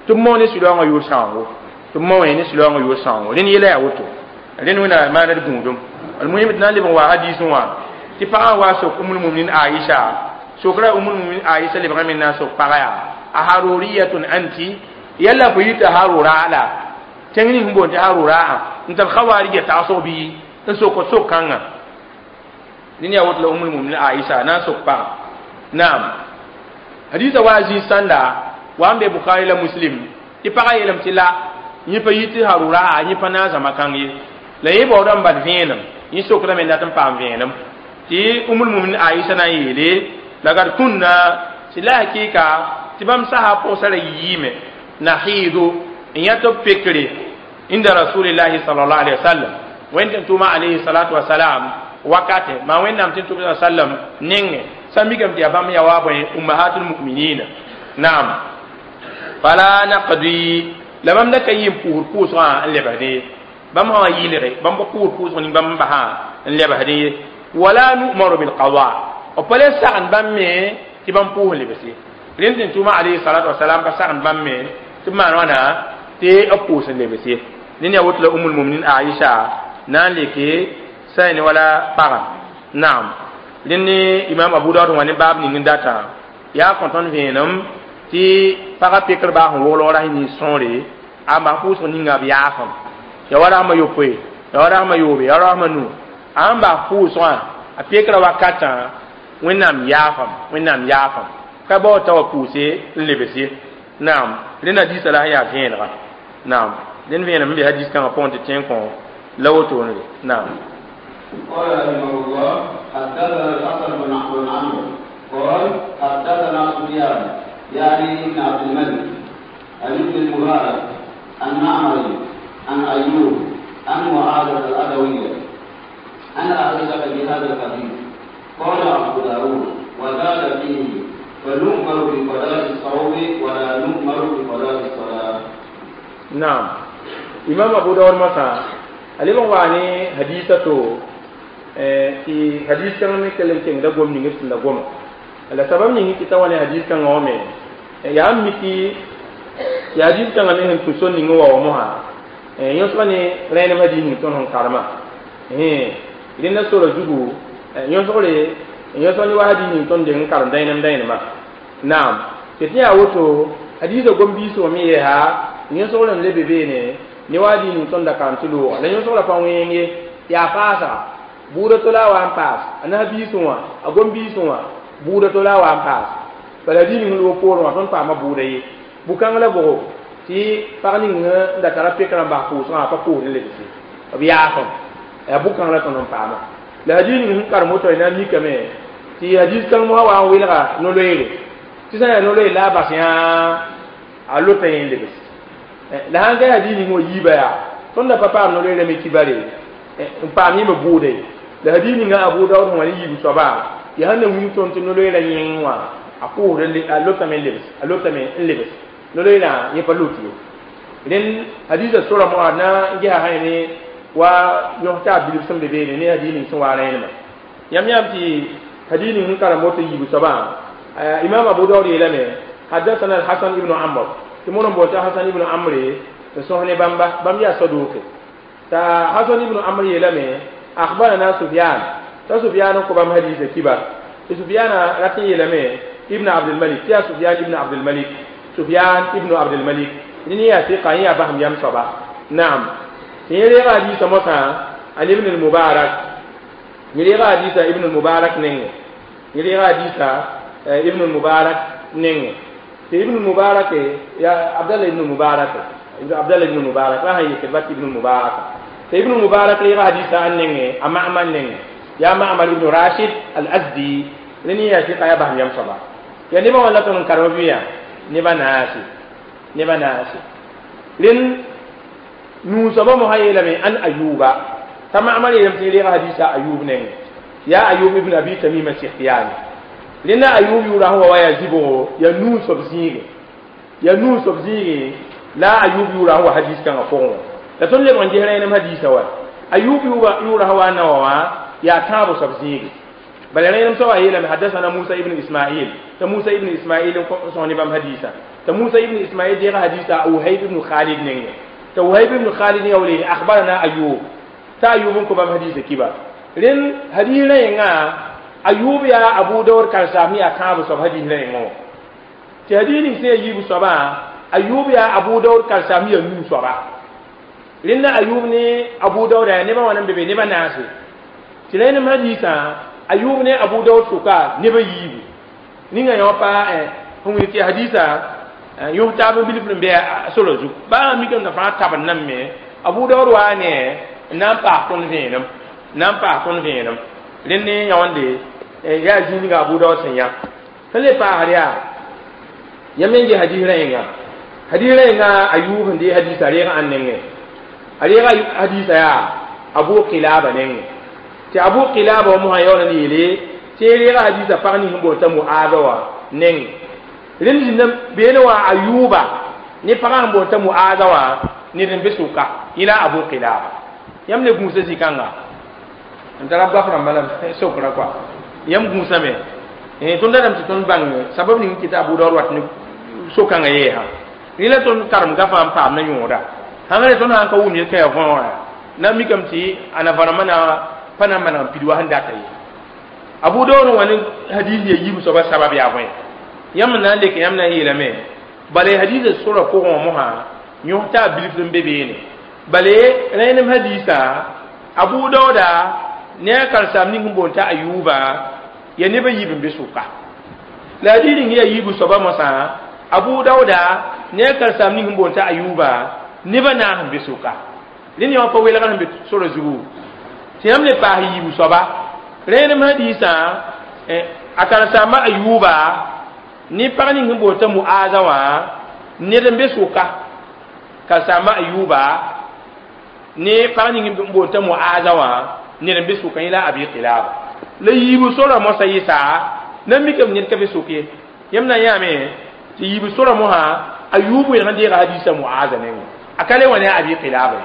Speaker 1: tɩ b mao ne sɩlaoongã yʋʋr sãoongo tɩ b mao ne sɩlaoongã yʋʋr sãoongo rẽnd yella yaa woto rẽnd wẽna maana d gũudum almuhim tɩ na n leb n wa hadiisẽ wã tɩ pagã wa sok umul muminin Aisha sokra umul muminin Aisha lebgame n na n sok pagã yaa a haruriyatun anti yalla fo yita harura la tẽng ning sẽn boond tɩ harura n tar khawarija tagsg bɩ n sok sok kãngã ned yaa woto la umul muminin Aisha na n sok pagã naam hadisa wa zĩig sãnda wa n be Bukhari la Muslim tɩ pagã yeelame tɩ la yẽ pa yit tɩ harura yẽ pa na n zãma kãng ye la yẽ baoodã n bad vẽenem yẽ sokrame n dat n paam vẽenem tɩ umul muminin Aisha na n yeele lagad kunna tɩ la hakɩɩka tɩ bãmb sasa pʋgsa ra yiime nahiidu n yã tɩ b pekre inda rasulillahi sallallahu alaihi wasallam wẽnd tɩ tʋʋma alayhi salatu wasalam wakate maa wẽnnaam tɩ tʋm sallam nengẽ sã mikame tɩ yaa bãmb yaa wa bõe ummahatul muminina naam fala naqdi la bãmb da ka yɩ n pʋʋsd pʋʋsgã n lebsdẽ ye bãmb sã wa yɩlge bãmb pa pʋʋsd pʋʋsg ning bãmb n basã n lebsdẽ ye wala nu'maru bilqada b pa le sagend bãmb me tɩ bãmb pʋʋs lebs ye rẽnd tɩ tʋʋma alayhi salatu wasalam pa sagend bãmb me tɩ b maan wãna tɩ b pʋʋs n lebs ye ned yaa woto la umul muminin Aisha na n leke sã ne wala pagã naam rẽnd ne imam Abu Daud wã ne baab ning n datã yaa kõ tõnd vẽenem tɩ pagã pekr baa sẽn woglg ras nins sõore a bas pʋʋsg ninga b yaafem ya wa rasmã yopoe ya wa rasmã yoobe ya wa rasmã nu a n bas pʋʋsgã a pekra wakatã wẽnnaam yaafam wẽnnaam yaafam ka bao t'a wa pʋʋse n lebs ye naam rẽnd hadiisã la sẽn yaa vẽenega naam rẽnd vẽenem n be hadiis kãngã pʋgẽ tɩ tẽ n kõ La woto ne naam.
Speaker 2: قال رحمه الله حدثنا الحسن بن عمرو قال حدثنا سفيان يعني ابن عبد الملك عن ابن المبارك عن معمر عن أيوب عن معاذة الأدوية عن عائشة بهذا الحديث. قال أبو داود وزاد فيه فنؤمر بقضاء الصوم ولا نؤمر بقضاء الصلاة.
Speaker 1: نعم. إمام أبو داود مثلا alima wani hadisa to ti hadis kan me kelen ken da gom ni ngir da gom ala sabab ni ki tawani hadis kan ngome ya miki ya hadis kan me hen tuson ni ngwa wa moha yosba ni rene madi ni ton hon karma linna sura jugu yosole yosoni wa hadis ni ton de karam dainam dainama. Naam. Tetiya woto hadisa gom biso mi ha yosole le bebe ne ni wadi ni ton da kan tulo la yosole pa wenge ya pasa buda to la wa paas ana biso wa agom biso wa buda to la wa paas bala di ni lo poro wa ton pa ma buda ye bukang la bo ti parni nga da tara pekran ba ko so pa ko le bisi biya ko ya bukang la ton pa ma la di ni kar moto ina mi kame ti hadis kan mo wa wilga no loele ti sa no loele la ba sia a lota yin le bisi la hanga hadis ni mo yiba ya ton da papa no loele me kibare pa mi me bude la hadis ni nga Abu Dawud wani yibu soba ya hanna wi ton ti no loele yin wa a ko le a lota me le bisi a lota me le bisi no loele ye pa loti len hadis sura mo na ngi ha hayne wa yohta bilib sam bebe ne hadis ni so wa rayna ma yam yam ti hadis ni kara moto yibu soba imam Abu Dawud yelame hadathana al-Hasan ibn Amr timono bota Hasan ibn Amr to sohne bamba bam ya saduke ta Hasan ibn Amr yelame akhbarana Sufyan ta Sufyan ko bam hadis kibar Sufyan ratin yelame ibn Abd al-Malik ya Sufyan ibn Abd al-Malik Sufyan ibn Abd al-Malik ni ya fi qaniya baham yam soba. Naam. Ni re hadis mosa an ibn al-Mubarak ni re hadis ibn al-Mubarak nenge ni re hadis ibn al-Mubarak nenge ibn al-Mubarak ya Abdullah ibn al-Mubarak Abdullah ibn al-Mubarak la hay ke bat ibn al-Mubarak ibn al-Mubarak re hadis an nenge amma amman nenge ya Ma'mar ibn Rashid al-Azdi ni ya fi qaya baham yam soba ya ni ba wala ton karobiya ni ba nasi ni ba nasi lin nu soba mo hayela me an Ayuba tama amali yam ti re hadisa Ayub nenge ya Ayub ibn Abi Tamim al-Sikhtiyani lina Ayub yura huwa wa yazibo ya nu sob zige ya nu sob zige la Ayub yura huwa hadis kan afon la ton le mon jehra nam hadisa wa Ayub yura huwa na wa ya tabu sob zige bal nam so ayela me hadathana Musa ibn Ismail ta Musa ibn Ismail ko so ni bam hadisa ta Musa ibn Ismail jehra hadisa Uhayb ibn Khalid nenge ta Uhayb ibn Khalid yawli akhbarana Ayub ta Ayub ko bam hadisa kiba len hadira nga Ayub ya Abu Dawud kan sami akabu sob hadira ngo ti hadini se yibu soba Ayub ya Abu Dawud kan sami nu soba len Ayub ni Abu Dawud ya ne ba wannan bebe ne ba nasi ti len hadisa Ayub ne Abu Dawud suka ne ba yibu ni nga yo pa hunwi ti hadisa yo ta ba bilif be solo zu ba mi kan fa ta ban nan me Abu Dawud wa ne nan pa ton venam nan pa ton venam len ne yonde ya jini ga Abu Dawud senya hele pa hariya yamen je hadira inga hadira inga Ayub ndi hadisa re an nenge hadira hadisa ya Abu Qilaba nenge ti Abu Qilaba mo hayona ni le ti re hadisa pa ni mbo ta Mu'adha nenge len jinna bene wa Ayuba ni pa mbo ta Mu'adha wa ni den besuka ila Abu Qilaba yamne gusa zikanga antara ba fara malam sokra kwa yam gusa me ton dadam ti ton bang sabab ni kita Abu Dawud wat ni sokanga ye ha ni la ton karam ga fam pam na nyoda hangare ton han ka wum ye kay fon na mi kam ti ana fara mana pana mana pidwa handa tay Abu Dawud wani hadisi ye yibu soba sabab ya fon yam na le ke yam na yela me bale hadisi sura ko mo ha nyota bilif bebe ne bale renem hadisa Abu Dawud ne kar sam ni mbonta Ayuba ya ne ba yibin be suka la dinin ya yibu soba masa Abu Dawud ne kar sam ni mbonta Ayuba ne ba na han be suka Rẽnd yã pa welgr sẽn be sora zugu tɩ yãmb le paas yiibu soaba rẽenem hadiisã a karen-saamba Ayuba ne pag ning sẽn boond t'a Muaza wã ned n be soka karen-saamba Ayuba ne pag ning sẽn boond t'a Muaza wã ned n be soka yẽ la Abi Qilaba la yiibu sora mosã yɩsa na mikame ned ka be sok ye yãmb na yãame tɩ yiibu sora mosã Ayub welg n deega hadiisã Muaza nengẽ a ka le wa ne a Abi Qilaba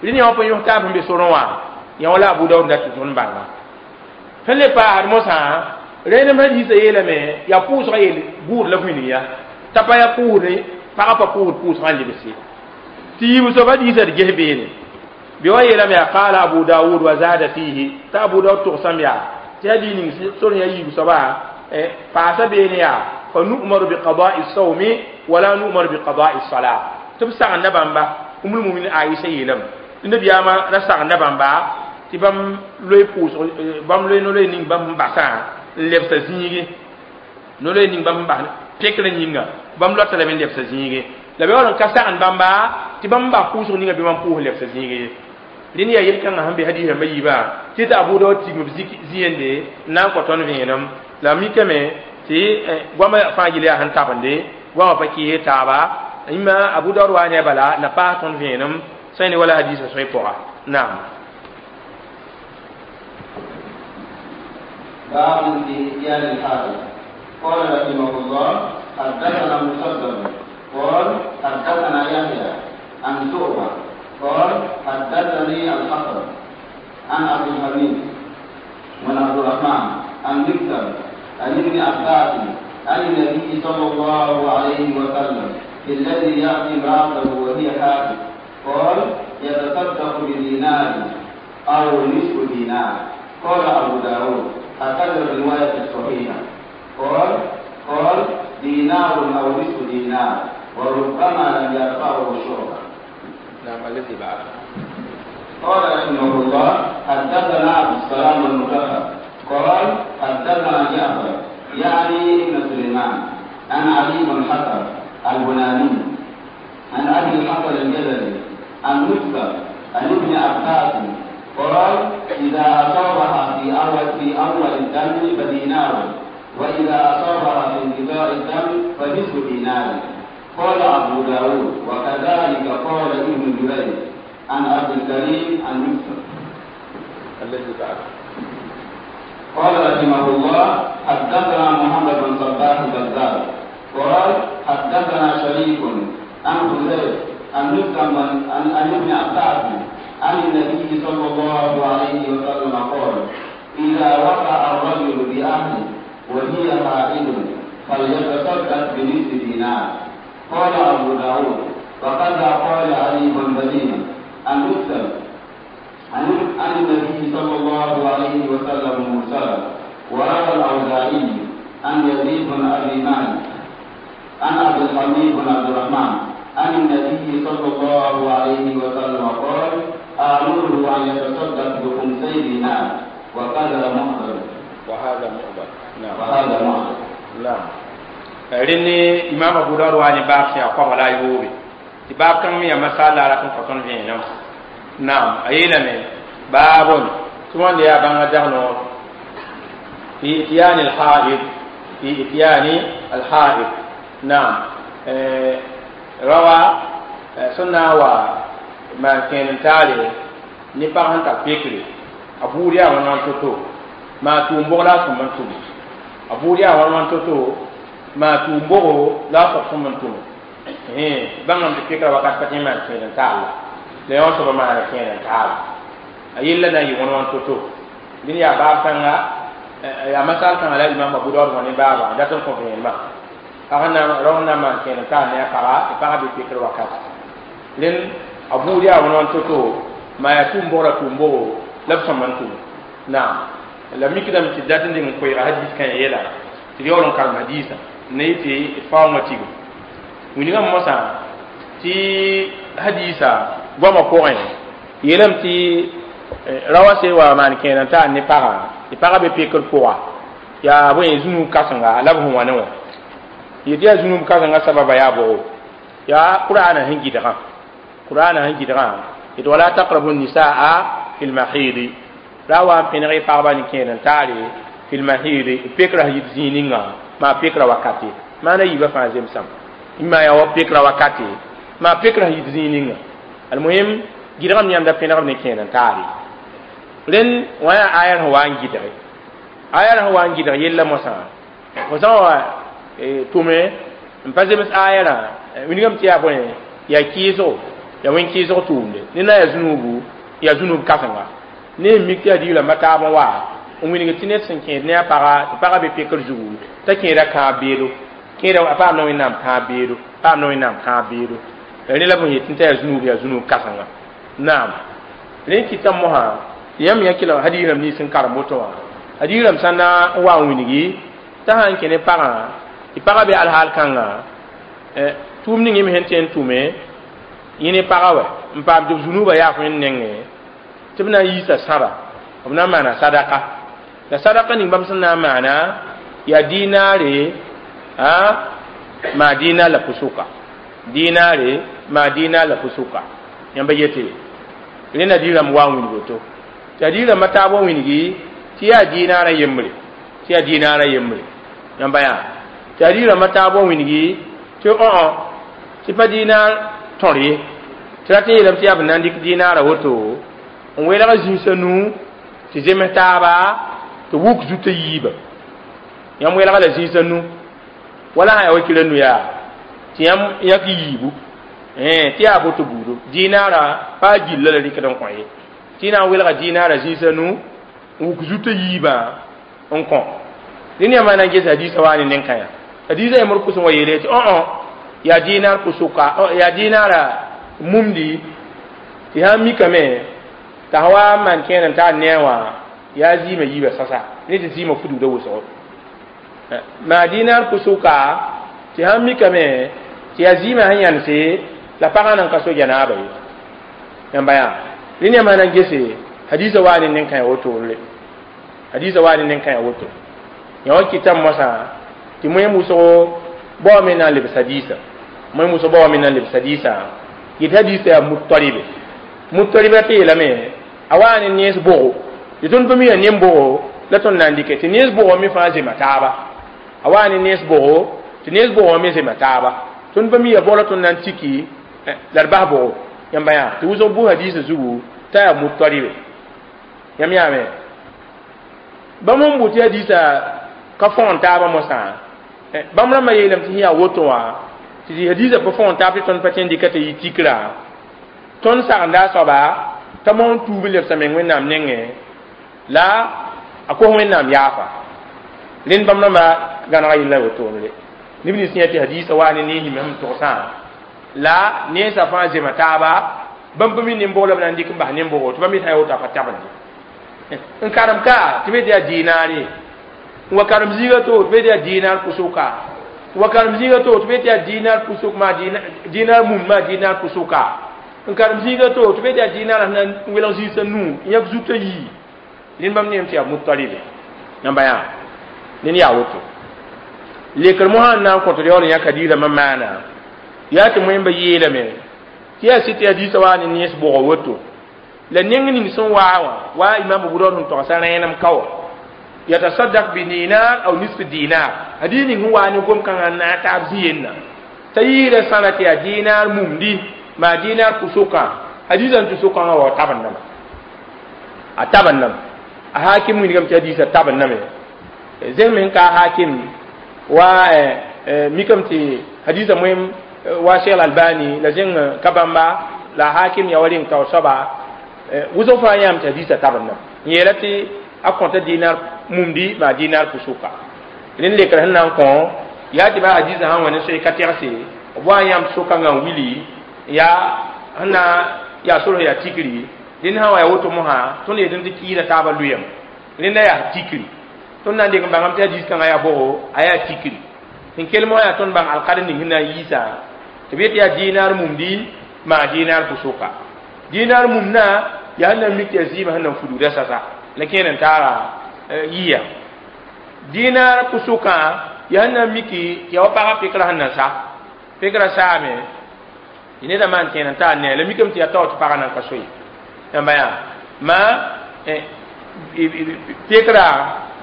Speaker 1: ye rẽnd yã wã pa yõs taab sẽn be sorẽ wã yã wala Abu Daud dat tɩ tõnd bãnga sẽn le paasd mosã rẽenem hadiisã yeelame yaa pʋʋsgã yel buud la bũi ya t'a pa yaa pʋʋsde pagã pa pʋʋsd pʋʋsgã n lebse tɩ yiib soab hadiisã d ges beene bɩ wa yeelame yaa qala Abu Daud wa zada fihi t'a Abu Daud togsame yaa tɩ hadiis ning sor yaa yiib soaba paasa beene yaa fa nu'maru biqada'i sawmi wala nu'maru biqada'i salat tɩ b sagenda bãmba Ummul Muminin Aisha yeelame tɩ nabiyaamã ra sagenda bãmba tɩ bãmb loe pʋʋsg bãmb loe no-loe ning bãmb sẽn basã n lebsa zĩige no-loe ning bãmb sẽn bas pekrã yĩnga bãmb loata lame n lebsa zĩige la bɩ wall n ka sagend bãmba tɩ bãmb n bas pʋʋsg ninga bɩ bãmb pʋʋs lebsa zĩige ye rẽnd yaa yel-kãngã sẽn be hadiis rãmbã yiibã tɩ t'a Abu Daud tigm b zĩ-yende n na n kõ tõnd vẽenem la mikame tɩ goamã fãa yel yaa sẽn tabende goamã pa kɩɩs taaba yĩmma Abu Daud waa ne a bala na paas tõnd vẽenem sã ne wala hadiisã sõe pʋga naam.
Speaker 2: باب في إتيان الحائض. قال رحمه الله حدثنا مسدد قال حدثنا يحيى عن شعبة قال حدثني الحسن عن أبي الحميد بن عبد الرحمن عن مكتب عن ابن عباس عن النبي صلى الله عليه وسلم في الذي يأتي امرأته وهي حائض قال يتصدق بدينار أو نصف دينار. قال أبو داود هكذا الرواية الصحيحة. قال دينار أو نصف دينار وربما لم يرفعه شعبة.
Speaker 1: نعم الذي بعد.
Speaker 2: قال رحمه الله حدثنا عبد السلام المكفر قال حدثنا جعفر يعني ابن سليمان عن علي بن حسن البناني عن أبي الحسن الجزري عن مكتب عن ابن عباس قال إذا أصابها في أول الدم فدينار وإذا أصابها في انقطاع الدم فنصف دينار. قال أبو داود وكذلك قال ابن جريج عن عبد الكريم عن يوسف
Speaker 1: الذي بعد.
Speaker 2: قال رحمه الله حدثنا محمد بن صباح البزار قال حدثنا شريك عن حذيفة عن مسلم عن ابن عباس عن النبي صلى الله عليه وسلم قال إذا وقع الرجل بأهله وهي حائض فليتصدق بنصف دينار. قال أبو داود وكذا قال علي بن مدينة عن مسلم عن النبي صلى الله عليه وسلم مرسلا. وروى الأوزاعي عن يزيد بن أبي مالك عن عبد الحميد بن عبد الرحمن عن النبي صلى الله عليه وسلم قال آمره أن يتصدق بخمسي دينار وكذا معضل.
Speaker 1: وهذا معضل. نعم
Speaker 2: وهذا معضل.
Speaker 1: نعم رني إمام أبو داود واني باب سيا قام لا يوبي باب كم يا مسألة لكن كتون فينا. نعم أيلمي باب ثم يا بان جهنو في إتيان الحائض في إتيان الحائض. نعم روى سنة وما كان تالي نبغى تفكري أبو ريا ونانتو ما تومبو لا سمنتو أبو ريا ونانتو ما تومبو لا سمنتو bãngame tɩ pekra wakat pa tẽ n maan kẽed n taal la yã soaba maana kẽed n taal a yella na n yɩ wãn-wãn to-to dẽnd yaa baab kãnga yaa masal kãngã la imam Abu Daud wã ne baabã dat n kõ vẽenemã pag rao n na n maan kẽed n taal ne a paga tɩ pagã be pekr wakat rẽnd a buud yaa wãn-wãn to-to maa yaa tʋʋm-bogra tʋʋm-bogo la b sõm n tʋm naam la mikdame tɩ dat n deng n koeega hadiis kãyã yɛla tɩ d yaool n karem hadiisã ne yɩ tɩ d faoongã tigim wĩnigã mosã tɩ hadiisa goamã pʋgẽ yeelame tɩ raoã se wa maan kẽed n taal ne pagã tɩ pagã be pekr pʋga yaa bõe zũnug kãsenga la b sẽn wa ne wã yetɩ yaa zũnug kãsenga sababa yaa bʋgo yaa qur'aana sẽn gɩdgã qur'aana sẽn gɩdgã Yet wala taqrabu nisaa fi lmahidi ra wa n pẽneg y pagba ne kẽed n taare fi lmahidi pekra yit zĩig ninga maa pekra wakate maana yiibã fãa zemsame maa yaa wa pekra wakate maa pekra yit zĩig ninga almuhim gɩdgame yãmb da pẽnegb ne kẽed n taare rẽnd wã yaa aya sẽn wa n gɩdge aya sẽn wa n gɩdg yella mosã fo sã wa tʋme n pa zems aya rã wilgame tɩ yaa bõe yaa kɩɩsgo yaa wẽn kɩɩsg tʋʋmde ne na yaa zũnubu yaa zũnub kãsenga ne n mik tɩ yaa diglãmba taab n wa n wilg tɩ ned sẽn kẽed ne a paga tɩ pagã be pekr zugu t'a kẽeda kãab beedo kẽeda a paamda wẽnnaam kãab beedo paamda wẽnnaam kãab beedo rẽ la b sẽn yetɩ t'a yaa zũnub kãsenga naam rẽ kɩta mosã yãmb yã kɩla hadiis rãmb nins n karem woto wã hadiis rãmb sã na n wa n wilgi t'a sã n kẽ ne pagã tɩ pagã be alhaal kãnga tʋʋm ning yẽ me sẽn tõe n tʋme yẽ ne pagã wɛ n paam tɩ b zũnubã yaaf wẽnd nengẽ tɩ b na n yiisa sãba b na n maana sadaka la sadaka ning bãmb sẽn na n maana yaa dinaare maa dinar la pusuka dinaare maa dinar la pusuka yãmba yete rẽnda diirãmb wa n wilg woto tɩ a diirãmbã taab wa wilgi tɩ yaa dinaarã yembre tɩ yaa dinaarã yembre yãmba yaa tɩ a diirãmbã taab wa wilgi tɩ õ tɩ pa dinar tõr ye tɩ rat n yeelame tɩ yaa b na n dɩk dinaarã woto n welg zĩisã nuu tɩ zems taaba tɩ wuk zutã yiiba yãmb welga la zĩisã nu wala sã yaa wa kira nu yaa tɩ yãmb yãk yiibu tɩ yaa boto buudo dinaarã pa gilla la rɩkd n kõ ye tɩ na n welga dinaarã zĩisã nu n wuk zutã yiibã n kõ rẽnd yãmb na n ges hadiisã waa ne nen-kã yã hadiisã yãmb d pʋsẽ wa yeele tɩ õ yaa dinar pusuka yaa dinaarã mumdi tɩ sã n mikame t'a sã wa n maan kẽer n taar ne wã yaa zɩɩmã yiibã sasa ne tɩ zɩɩmã fudgda wʋsgo maa dinar pusuka tɩ sã n mikame tɩ yaa zɩɩmã sẽn yãnse la pagã nan ka so janaaba ye yãmba yaa rẽnd yãmb sã na n gese hadiisã waa ne nen-kã ya wotore hadiisã waa ne nen-kã ya woto yã wa kɩtame mosã tɩ moẽm wʋsgo bao me na n lebs hadiisã moẽm wʋsg bao me na n lebs hadiisã yet hadiisã yaa mutaribe mutariba tɩ yeelame a waa ne nees bʋgo tɩ tõnd pa mi yaa nen-bʋgo la tõnd na n dɩkɛ tɩ nees bʋgɔ me fãa zema taaba a waa ne nees bʋgo tɩ nees bʋgɔ me zema taaba tõnd pa mi yaa bʋg la tõnd na n tiki la d bas bʋgo yãmba yaa tɩ wʋsg bʋ hadiisã zugu t'a yaa mutaribe yãmb yaame bãmb n bʋ tɩ hadiisã ka fõgen taabã mosã bãmb rãmbã yeelame tɩ sẽn yaa woto wã tɩ hadiisã pa fõgen taab tɩ tõnd pa tõe n dɩka tɩ yɩ tikrã tõnd sagenda a soaba t'a moon tuub n lebsa meng wẽnnaam nengẽ la a kos wẽnnaam yaafa rẽnd bãmb rãmbã gãnega yella wotone neb nins yã tɩ hadiisã waa ne nees yĩm sẽn togsã la neensã fãa zema taaba bãmb pa mi nen-bʋg la b na n dɩk n bas nen-bʋgo tɩ bãmb yetã yaa woto a pa tabende n karem ka tɩ be tɩ yaa dinaare n wa karem zĩiga to tɩ be tɩ yaa dinar pusuka n wa karem zĩiga to tɩ be tɩ yaa dinar pusuk maa dinar mum maa dinar pusuka n karem zĩiga to tɩ be tɩ yaa dinar sẽn na n welg zĩisã nuu n yãk zutã yii rẽnd bãmb neem tɩ yaa mutaribe yãmba yaa ned yaa woto lekr mosã n na n kõt yaool n yãk hadiisãmbã maana yaa tɩ moẽmba yeelame tɩ yaa sɩ tɩ hadiisã waa ne nees bʋgã woto la neng ning sẽn waa wã wa imam Abu Dawud sẽn togsã rẽenem ka wã yatasaddaq bi dinar aw nisf dinar hadis ning sẽn waa ne gom-kãngã n naag taab zĩ-yenna t'a yɩɩda sãra tɩ yaa dinar mumdi maa dinar pʋsʋkã hadiisã n tɩ sʋkãngã wa tabendame a tabendame a hakim wilgame tɩ hadiisã tabendame zẽng me sẽn ka a hakim wa mikame tɩ hadiisã moem wa Cheikh Albani la zẽng ka bãmba la hakim ya wa reng taoor soaba wʋsg fãa yãam tɩ hadiisã tabendame n yeela tɩ a kõta dinar mumdi maa dinar pusuka rẽnd lekr sẽn na n kõ yaa tɩ ba hadiisã sãn wa ne soe ka tɛgse b wa n yãmb sʋkãngã n wili yaa sẽn na yaa sorg yaa tikri rẽnd sã wa yaa woto mosã tõnd yetɩ tɩ kɩɩda taabã lʋyame rẽnda yaa tikri tõnd na n dɩk n bãngame tɩ hadiis kãngã yaa bʋgo a yaa tikri sẽn kell mosã yaa tõnd bãng alkadr ning sẽn na n yiisã tɩ b yet yaa dinar mumdi maa dinar pusuka dinar mumna yaa sẽn na n mik tɩ yaa zɩɩmã sẽn na n fudgda sasa la kẽer n taara yiya dinar pusuka yaa sẽn na n miki tɩ yaa wa pagã pekra sẽn na sa pekra saame Neda maan kẽen n taar ne la mikame tɩ yaa tao tɩ pagã nan ka so ye yãmba yaa ma pekra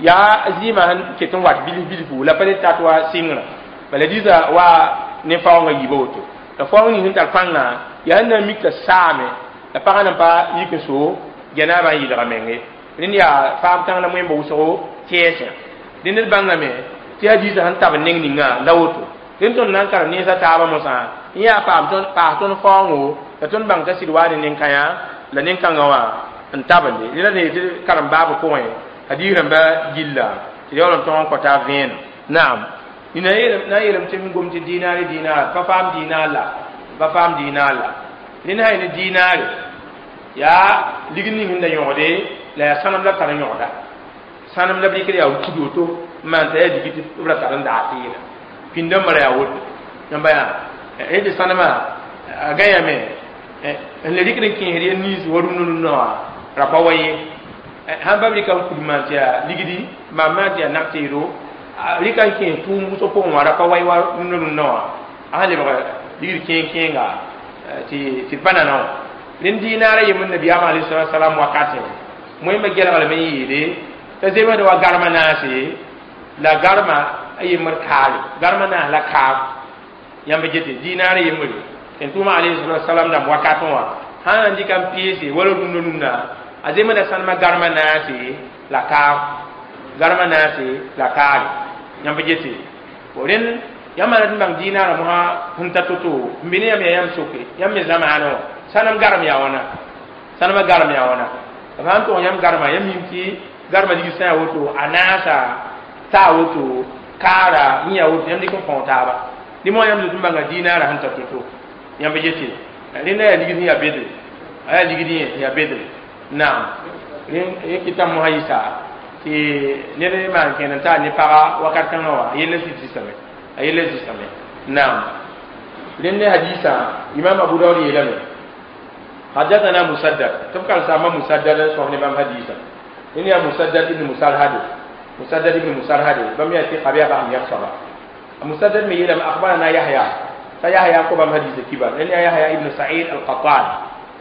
Speaker 1: yaa zɩɩmã sẽn ket n wat bilf bilfu la pa le tat wa sɩngrã bala dĩsã wa ne faoongã yiiba woto la faoong ning sẽn tar pãngã yaa sẽn na n mik t'a saame la pagã nan pa yik n so janaabã n yɩlga menge rẽnd yaa faam kãng la wẽmba wʋsgo tɛɛsã dẽ ned bãngame tɩ hadiisã sẽn tab n neng ninga la woto rẽnd tõnd na n karem nensã taabã mosã n yaa paas tõnd faoongo la tõnd bãng t'a sɩd waa ne nen-kãyã la nen-kãngã wã n tabende rẽ la ne tɩ karem baabã pʋgẽ hadiis rãmba gilla tɩ yaool n tõg n kõ taab vẽenem naam na yeelame tɩ m gom tɩ dinaare dinaar pa faam dinaar la pa faam dinaar la rẽnd sã ne dinaare yaa ligd ning sẽn da yõgde la yaa sãnem la b tar n yõgda sãnem la b rɩkd yaa kud woto n maan t'a yaa digi tɩ b ra tar n daa teela pĩndãmbã ra yaa woto yãmba yaa rẽ tɩ sãnemã a gãyame n le rɩkd n kẽesd ya niins wa rũnã rũnã wã ra pa wa ye sãn pa b rɩka n kud maan tɩ yaa ligdi maan maan tɩ yaa nag-teedo rɩka n kẽes tʋʋm wʋsg pʋgẽ wã ra pa wa ye wa rũnã rũnã wã a sẽn lebg ligd kẽeng-kẽenga tɩ pa nana wã rẽnd dinaarã yembr nabiyaamã alayhi salatu wasalam wakatẽ wẽmba gelglame n yeele t'a zemsd wa garma naase la garma a yembr kaare garma naas la kaab yãmb gete dinaarã yembre tɩ tʋʋma alayhi salatu wasalam dãmb wakatẽ wã sã n dɩka n peese wala rũndã rũndã a zemsda sãnemã garma naase la kaab garma naase la kaare yãmb gete rẽnd yãmb maan tɩ bãng dinaarã mosã sẽn ta to-to n be ne yãmb yaa yãmb soke yãmb me zamaanã wã sãnem garem yaa wãna sãnemã garem yaa wãna b sãn tʋg yãmb garma yãmb mim tɩ garma ligd sã yaa woto a naasa taa woto kaara yẽ yaa woto yãmb dɩk n kõo taaba dẽ moa yãmb zoet n bãnga dinaarã sẽn ta to-to yãmb yete rẽnda yaa ligd sẽn yaa bedre a yaa ligd yẽ yaa bedre naam rẽ kɩtame mosã yɩsa tɩ ned maan kẽen n taar ne paga wakat kãngã wã a yella sisame a yella sisame naam rẽnd ne hadiisã imam abu daud yeelame حدثنا مسدد تبقى سامة مسدد صحن بام حديثا إن يا مسدد ابن مسرهد مسدد ابن مسرهد بام يأتي قبيا بام يخصب مسدد من يلم أخبرنا يحيى فيحيى قبام حديث كبار إن يا يحيى ابن سعيد القطان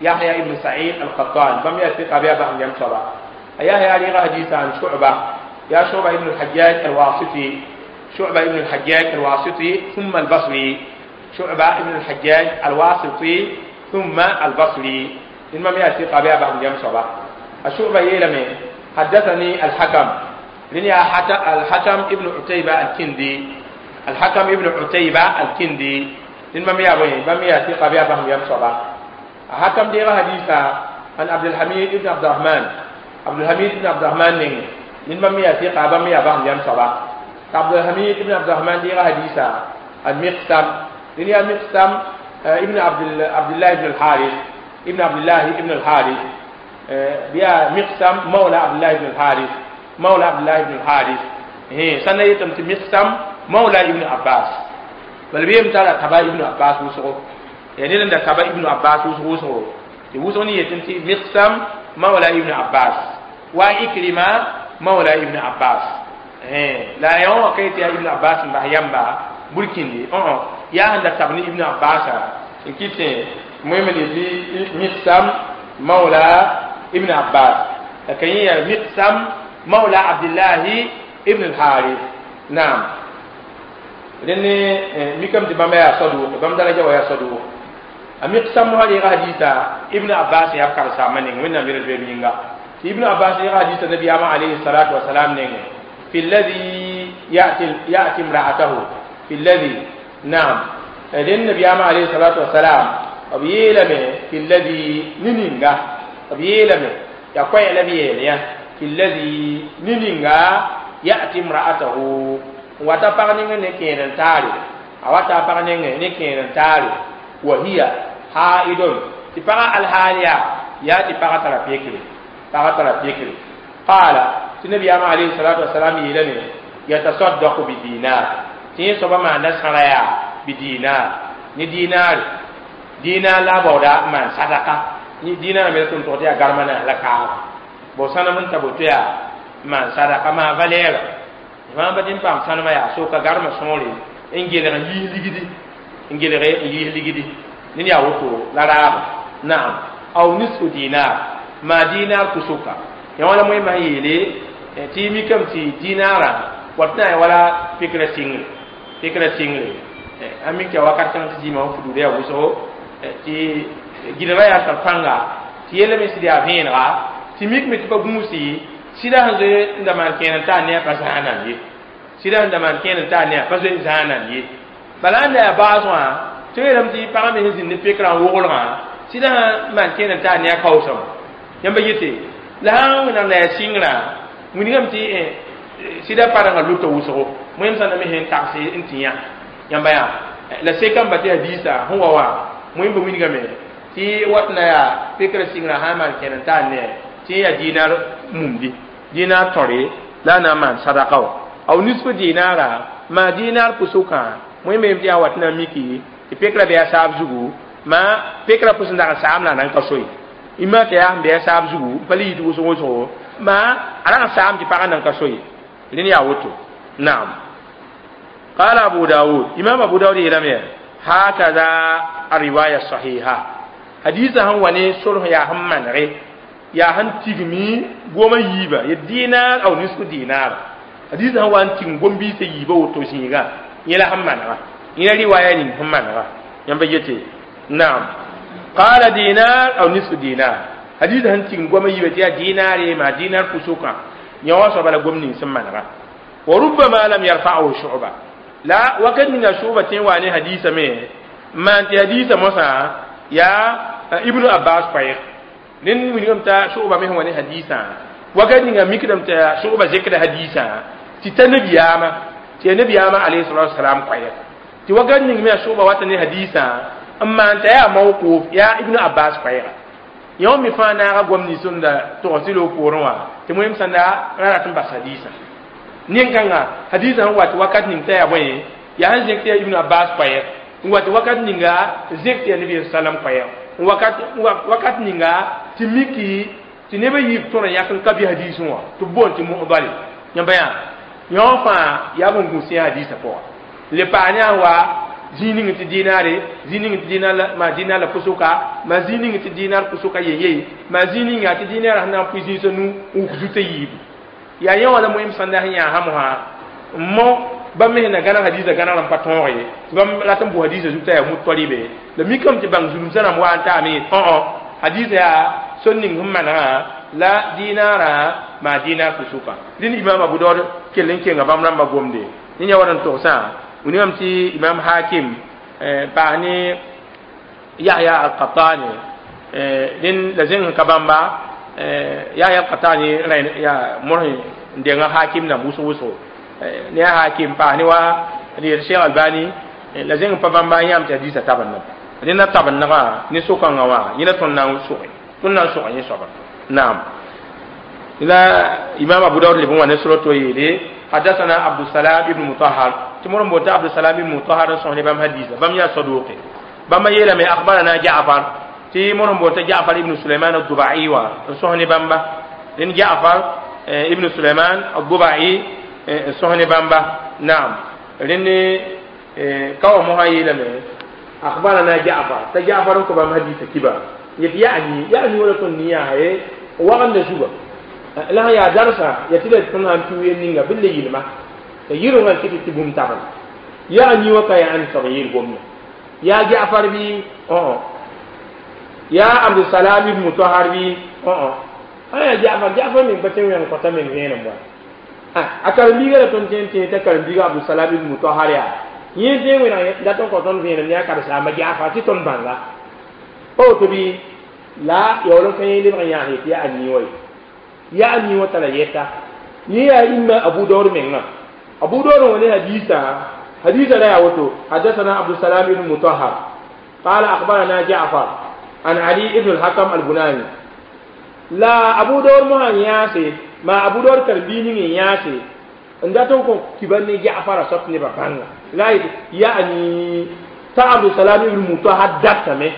Speaker 1: يحيى ابن سعيد القطان بام يأتي قبيا بام يخصب يحيى لغا حديث عن شعبة يا شعبة ابن الحجاج الواسطي شعبة ابن الحجاج الواسطي ثم البصري شعبة ابن الحجاج الواسطي ثم البصري إنما يأتي قبيا بعد يوم صباح الشعبة يلمي حدثني الحكم لني الحكم ابن عتيبة الكندي الحكم ابن عتيبة الكندي إنما يأتي قبيا بعد يوم صباح الحكم دي حديثا عن عبد الحميد ابن عبد الرحمن عبد الحميد ابن عبد الرحمن إنما يأتي قبيا بعد يوم صباح عبد الحميد ابن عبد الرحمن دي حديثا المقسم لني المقسم ابن عبد الله بن الحارث ابن عبد الله ابن الحارث بيا مقسم مولى عبد الله بن الحارث مولى عبد الله بن الحارث هي سنة يتم مقسم مولى ابن عباس بل بيم ترى تبا ابن عباس وسو يعني لن تبا ابن عباس وسو وسو يتم مقسم مولى ابن عباس وإكرمة مولى ابن عباس لا يوم كيت يا ابن عباس بهيامبا burkindi yaa sẽn da tab ne ibn abbas n kɩt moẽmd tɩ miqsam mawla ibn abbas la ka yẽ yaa miqsam mawla abdillahi ibn al-harith naam rẽnd mikame tɩ bãmba yaa sadʋʋk bãmb daraja wa yaa sadʋʋk a miqsam mosã reega hadiisa ibn abbas yaa b karsaamã neng wẽnnaam yel zoeeb yĩnga tɩ ibn abbas reega hadiisa nabiyaamã alayhi salatu wasalam nengẽ fi alladhi ya'ti imra'atahu في الذي نعم لأن النبي عليه الصلاة والسلام أبيلم في الذي نينغا أبيلم يا كوي لبيل في الذي نينغا يأتي امرأته وتفرنين نكين تاري أو تفرنين نكين تاري وهي حائض تفرع الحالية يأتي فرع ترى فرع ترى قال النبي عليه الصلاة والسلام يلم يتصدق بدينار tɩ yẽ soaba maanda sãra yaa bi diinaar ne diinaare diinaar la a baooda n maan sadaka diinaarã me la tʋm tʋg tɩ yaa garma naas la kaaba bo sãnem n ta boto yaa n maan sadaka maa valɛɛra fãa pa tɩ n paam sãnemã yaa soka garma sõore n gelg n yiis ligdi n gelg n yiis ligdi Ned yaa woto la raaba. Naam, aw nisfu dinar, maa dinar pusuka yã wala moẽmã sẽn yeele tɩ y mikame tɩ dinara wat na n wala pekra sɩngre, pekra sɩngre. Sãn mik tɩ ya wakat kãng tɩ zĩima wã fududa yaa wʋsgo tɩ gɩdgã yaa tar pãnga tɩ yella me sɩd yaa vẽenega tɩ mikme tɩ pa gũusi sɩda sẽn zoe n da maan kẽer n taa ne a pa zãanan ye, sɩda sẽn da maan kẽer n taa ne a pa zoe n zãanan ye. Bala ãnda yaa baas wã tɩ yeelame tɩ pagã me sẽn zĩnd ne pekrã n woglgã sɩda sẽn maan kẽer n taa ne a kaoosame. Yãmba yete la sãn wẽnnaam la yaa sɩngrã wilgame tɩ sɩda parengã lʋta wʋsgo moẽm sãn da me sẽn tags n tɩ yã. Yãmba yaa la sekame ba tɩ hadiisa sẽn wa wã moẽmba wilgame tɩ wat na yaa pekrã sɩngrã sã n maan kẽer n taa ne tɩ yaa dinar mumdi, dinar tõre la a na n maan sadaka wã. Aw nisfu dinara, maa dinar pʋsʋkã moẽmba yem tɩ yaa wat na n miki tɩ pekrã bɩ a saab zugu, maa pekrã pʋs n dag n saam la a nan ka soe ima tɩ yaa sẽn bɩ a saab zugu n pa le yit wʋsg wʋsgo, maa a rag n saam tɩ pagã nan ka soe. Rẽnd yaa woto. Naam, qala Abu Dawud, imam Abu Dawud yeelame hakaza ariwaya sahiha. Hadisa sẽn wa ne sorg yaa sẽn manege, yaa sẽn tigmi goma yiiba ya dinar aw nisfu dinar. Hadisa sẽn wa n tigm gom-biisã yiiba woto zĩiga yẽ la sẽn manega, yẽ la riwaya ning sẽn manega. Yãmba yete naam, qala dinar aw nisfu dinar. Hadisa sẽn tigm goma yiiba tɩ yaa dinare maa dinar pʋsʋkã yã wã soaba la gom ning sẽn manega. Wa rubbama lam yarfa'ahu Shu'ba la wakat ninga Shu'ba tẽ wa ne hadisa me maan tɩ hadisa mosã yaa Ibnu Abbas koɛɛg. Rẽnd wilgame t'a Shu'ba me sẽn wa ne hadisã wakat ninga mikdame t'a Shu'ba zekda hadisã tɩ ta nabiyaamã, tɩ yaa nabiyaamã alayhi salatu wasalam koɛɛg, tɩ wakat ning me a Shu'ba wata ne hadisã n maan t'a yaa mawquf, yaa Ibnu Abbas koɛɛga. Yõ me fãa naaga goam nins sẽn da togs loog poorẽ wã tɩ moẽm sãn da ra rat n bas hadisã nin-kãnga. Hadisã sẽn wat wakat ning t'a yaa bõe, yaa sẽn zẽk tɩ yaa Ibnu Abbas koɛɛg n wat wakat ninga zẽk tɩ yaa nabi salam koɛɛg n wakat ninga tɩ miki tɩ neb a yiib tõr n yãk n ka bɩ hadisẽ wã tɩ b boond tɩ mu'dale. Yãmba yaa yõ fãa yaa bõn-gũs yã hadisã pʋga le paa ne a wa zĩig ning tɩ dinare, zĩig ning tɩ dinar la maa dinar la pʋsʋka, maa zĩig ning tɩ dinar pʋsʋka yeye, maa zĩig ninga tɩ dinara sẽn na n pʋɩ zĩisã nu n wʋk zutã yiibu. Yaa yẽ wã la moẽm sãnda sẽn yã sãmsã n mo bãmb me sẽn na gãneg hadiisã gãnegr n pa tõog ye tɩ bãmb rat n bʋ hadiisã zug t'a yaa mutalibe la mikame tɩ bãng zulumsã rãmb wa n taame õ hadiisã yaa sor ning sẽn manegã la dinara maa dinar pʋsʋka. Rẽnd imam Abu Daood kell n kenga bãmb rãmbã gomde ne yã wa n togsã wilgame tɩ imam Hakim paas ne Yahya al-Qattani rẽnd la zẽng sẽn ka bãmba Yahya al-Qattani yaa mors n denga Hakim dãmb wʋsg wʋsgo ne a Hakim paas ne wa d Cheikh Albani la zẽng n pa bãmba n yãam tɩ hadiisã tabendame. Rẽnd na tabendgã ne so-kãngã wã yẽ la tõnd na n sʋge, tõnd na n sʋga yẽ soaba. Naam, la imam Abu Daud leb n wa ne sʋra to yeele حدثنا عبد السلام ابن مطهر تمر بوتا عبد السلام ابن مطهر صحن بام حديث بام يا صدوق بام يلا ما اخبرنا جعفر تمر بوتا جعفر ابن سليمان الضبعي و صحن بامبا لن جعفر ابن سليمان الضبعي صحن بامبا. نعم، لن كاو مو يلا ما اخبرنا جعفر تجعفر كو بام حديث كبا يعني ولا تنيا هي وغند شوبا la yaa darsa ya tɩ la tõnd sãn pɩ wen ninga bɩ le yɩlma t'a yɩrengã kɩ tɩ bũmb tabl yaa a wa ka yaa ãnd soab n yeel gomda yaa Jaafar bɩ õ yaa Abdusalam ibn Mutahar bɩ õ a yaa Jaafar. Jaafar meng pa tẽ wẽng kõta meng vẽenem wa a karen-biiga la tõnd tẽ n tẽ t'a karen-biiga Abdusalam ibn Mutahar yaa yẽ tẽ wẽneg dat n kõ tõnd vẽenem ne a karen-saamba Jaafar tɩ tõnd bãnga pa woto bɩ la yaool n ka yẽ lebg n yãas yetɩ yaa a nii wa ye yaa a nii wã tara yɛta yẽ yaa imma Abu Daud menga. Abu Daud wã ne hadisa, hadisa la yaa woto: حدثنا عبد السلام بن مطهر قال أخبرنا جعفر عن علي بن الحكم البناني la Abu Daud mo yãase ma Abu Daud karen-biig ning n yãase n dat n kõ kibar ne Jaafara soab nebã bãnga la yaani t'a Abdusalam ibn Mutahar datame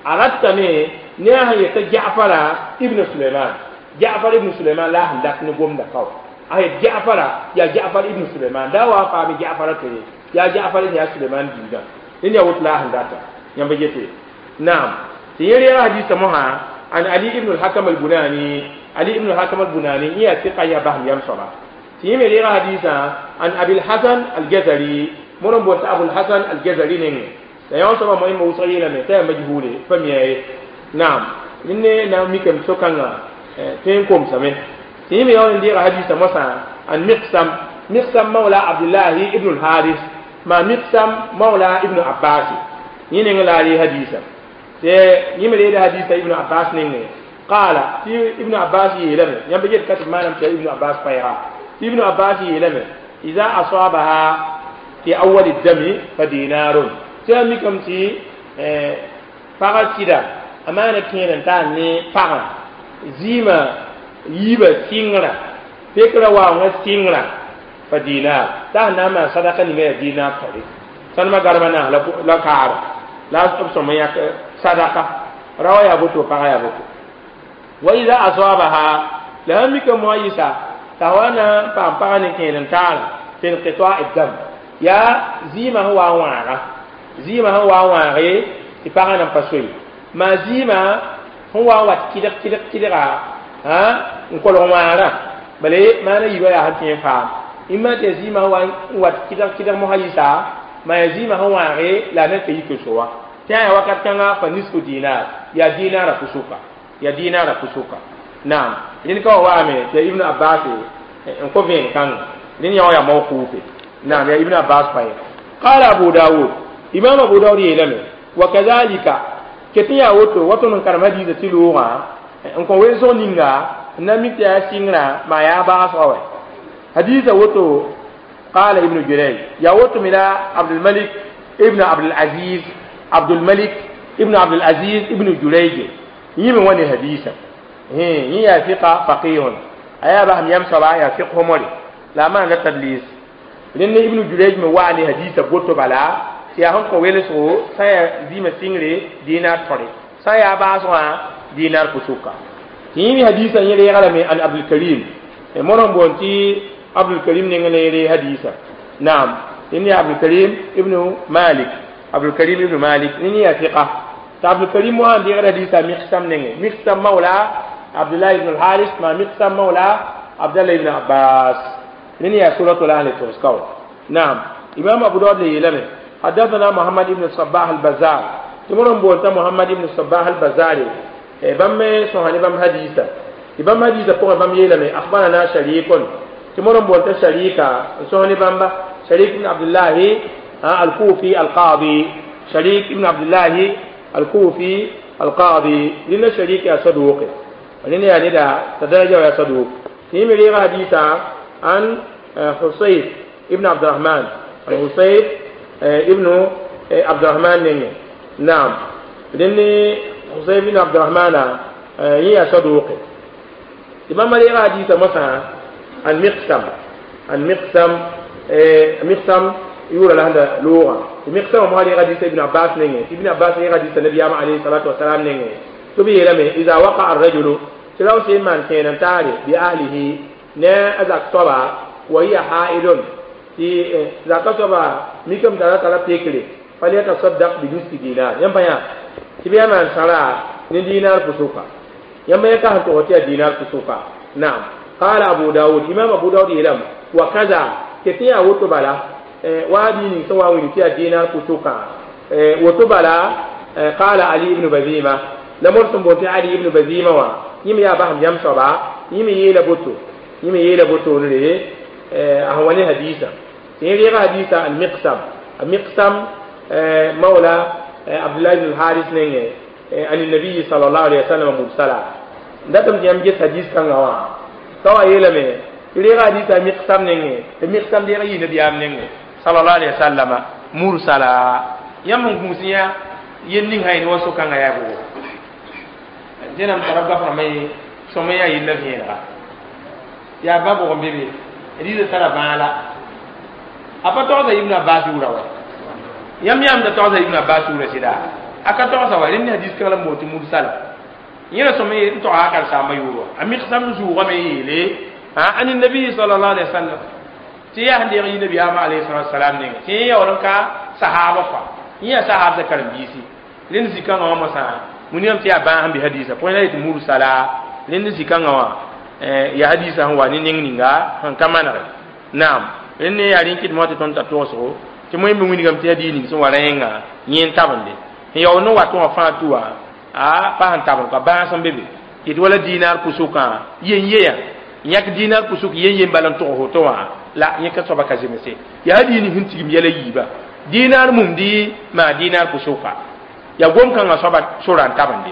Speaker 1: a ratame ne a sẽn yeta Jaafara ibn Suleiman, Jaafar ibn Suleiman la sẽn dat ne gomda kao a yet Jaafara yaa Jaafar ibn Suleiman da wa paame Jaafara to ye yaa Jaafar yaa Suleiman biigã rẽnd yaa woto la a sẽn data yãmba yete. Naam, tɩ yẽ reega hadisa mosã an Ali ibn al-Hakam al-Bunani. Ali ibn al-Hakam al-Bunani yẽ yaa sɩka, yaa basem yam soaba. Tɩ yẽ me reega hadisa an Abil Hasan al-Jazari, mõr n boond t'a Abul Hasan al-Jazari nengẽ. La yõ soaba mo yẽmba wʋsg yeelame t'a yaa majhule, pa mi ye. Naam, rẽnd na n mikame so-kãngã tõe n komsame. Tɩ yẽ me yaool n deega hadisa mosã an Miqsam, Miqsam mawla Abdullahi ibn al-Haris, ma Miqsam mawla Ibn Abbas, yẽ nengẽ la a ree hadisa. Tɩ yẽ me reeda hadisa Ibn Abbas nengẽ, qaala, tɩ Ibn Abbas yeelame, yãmb yet ka tɩ maanam tɩ Ibn Abbas paɛɛga. Tɩ Ibn Abbas yeelame, ida asabaha fi awali dami fa dinarun. Tɩ a mikame tɩ pagã sɩda a maana kẽer n tar ne pagã zɩɩmã yiibã sɩngrã, pekrã waoongã sɩngrã, fa dinar, t'a sẽn na n maan sadaka ninga yaa dinar tɔre. Sãnema garmã naas la kaara la b sõm n yãk sadaka raoã yaa boto, pagã yaa boto. Wa ida asabaha, la sãn mikame moa yɩsa t'a wa na n paam pagã ne kẽer n taara fi inqita'i dam, yaa zɩɩmã sẽn wa n wãaga, zɩɩmã sẽn wa n wãage tɩ pagã nan pa soe, maa zɩɩmã sẽn wa n wat kɩdg kɩdg kɩdga n kolg wãagrã. Bala maana yiibã yaa sẽn tõe n faam ĩmã tɩ yaa zɩɩmã sẽn wa n wat kɩdg kɩdg mosã yɩsa, maa yaa zɩɩmã sẽn wãage la a nan ka yik n so wa, tɩ a yaa wakat kãngã fa nisfu dinar, yaa dinara pusuka, yaa dinara pusuka. Naam, rẽnd ka wa waame tɩ yaa Ibn Abbas n kõ vẽen kãngã, rẽnd yã wã yaa mawkuufe. Naam, yaa Ibn Abbas pa ye. Qala Abu Dawud, Imam Abu Dawud yeelame, wa kadhalika, ket n yaa woto wa tõnd n karem hadiisã tɩ loogã n kõ welsg ninga n na mik tɩ yaa sɩngrã maa yaa baasgã wɛ hadiisã woto. Qala Ibnu Jurayj, yaa woto me la Abdulmalik ibn Abdulaziz, Abdulmalik ibn Abdulaziz ibn Jurayj yẽ me wa ne hadiisã. Yẽ yaa fiqa faqihun, a yaa basem yam soaba, yaa fiq more la a maanda tadlis. Rẽnd Ibnu Jurayj me waa ne hadiisã boto bala tɩ yaa sẽn kõ welsgo, sã yaa zɩɩmã sɩngre dinar tõre, sã yaa baasgã dinar pusuka. Tɩ yẽ me hadiisã yẽ reega lame an Abdulkarim, mõr n boond tɩ Abdulkarim nengẽ la yẽ ree hadiisã. Naam, rẽnd yaa Abdulkarim ibnu Malik, Abdulkarim ibnu Malik rẽnd yaa fiqa. Tɩ Abdulkarim wã n deegd hadiisã Miqsam nengẽ, Miqsam mawla Abdullah ibn al-Haris, ma Miqsam mawla Abdallah ibn Abbas, rẽnd yaa suratul ahli togs ka wa. Naam, Imam Abu Dawud le yeelame, حدثنا محمد بن الصباح البزار، tɩ mõr n boond t'a Mohamad ibn Sabah al-Bazari, bãmb me sõsa ne bãmb hadiisa. Tɩ bãmb hadiisã pʋgẽ bãmb yeelame, akhbarana Sharikun, tɩ mõr n boond t'a Sharika n sõs ne bãmba, Sharik ibn Abdullahi al-Kufi al-Qadi, Sharik ibn Abdullahi al-Kufi al-Qadi. Rẽnda Sharik yaa saduqe, rẽnd yaa neda t'a daraja wa yaa saduq. Tɩ yẽ me reega hadiisa an Husayf ibn Abdurahman, an Husayf ibn Abdurahman nengẽ. Naam, rẽnd Husayf ibn Abdurahmana yẽ yaa saduqe. Tɩ bãmba reega hadiisa mosã an Miqsam, an Miqsam, Miqsam yʋʋra la sẽn da loogã. Tɩ Miqsam mosã reega hadiisa Ibn Abbas nengẽ, tɩ Ibn Abbas reega hadiisa nabiyaamã alayhi salatu wasalam nengẽ, tɩ b yeelame, ida waqaa arrajulu, tɩ rao sẽn maan kẽer n taare bi ahlihi ne a zak soaba, wa hiya haidun, tɩ zaka soaba mikame t'a ra tara pekre, falyatasaddaq bi nisfi dinar. Yãmb pa yã tɩ b yaa maan sãra ne dinar pusuka, yãmb yã ka sẽn tog tɩ yaa dinar pusuka. Naam, qala Abu Dawud, Imam Abu Dawud yeelame, wa kaza, tɩ tɩ yaa woto bala wa bii ning sẽn wa n wilg tɩ yaa dinar pusuka woto bala. Qala Ali ibn Bazima, la mõr sẽn boond tɩ Ali ibn Bazima wã, yẽ me yaa basem yam soaba, yẽ me yeela boto, yẽ me yeela boto re a sẽn wa ne hadiisã. Tɩ yẽ reega hadiisã al Miqsam, a Miqsam mawla Abdullah ibn al-Haris nengẽ, an nabiyi sallallahu alaihi wasallam mursala. N datame tɩ yãmb ges hadis kãngã wã ka wa yeelame tɩ reega hadiisã Miqsam nengẽ, tɩ Miqsam deeg yɩ nabiyaam nengẽ sallallahu alaihi wasallam mursala. Yãmb n gũus yã yel ning sã yẽ wa so-kãngã yaa bʋgo dẽnam tara goaf rãmbã ye sõm yaa yella vẽenega yaa ba bʋg n be be rɩɩda tara bãala a pa togsa Ibn Abbas yʋʋra wa. Yãmb yãmb da togsa Ibn Abbas yʋʋra sɩda a ka togsa wa. Rẽnd hadis kãng la n boond tɩ mursala, yẽ ra sõm n togsa a karsaambã yʋʋr wa, a Miqsam zʋʋgame yeele an nabii sallallahu alaihi wasallam tɩ yaa sẽn deeg yɩ nabiyaamã alayhi salatu wasalam nengẽ, tɩ yẽ yaool n ka sahaba kɔa, yẽ yaa sahab sa karen-biisi. Rẽnd zĩ-kãngã wã mosã wilgame tɩ yaa bãag sẽn be hadiisã pʋgẽ la yetɩ mursala. Rẽnd zĩ-kãngã wã yaa hadiisã sẽn wa ne neng ninga sẽn ka manege. Naam, rẽnd ne yaa rẽn kɩdmã tɩ tõnd tar togsgo tɩ moẽ me wilgame tɩ hadiis ning sẽn wa rã yẽnga yẽ n tabende sẽn yaool ne watẽ wã fãa tʋ wã a pa sẽn tabend ka bãas n be be tɩ wala dinar pʋsʋkã yen yeya yãk dinar pʋsʋk yen yen bala n tog woto wã la yẽ ka soaba ka zemse. Yaa hadiis ning sẽn tigim yɛla yiiba dinar mumdi maa dinar pʋsʋka yaa gom-kãngã soaba sora n tabende.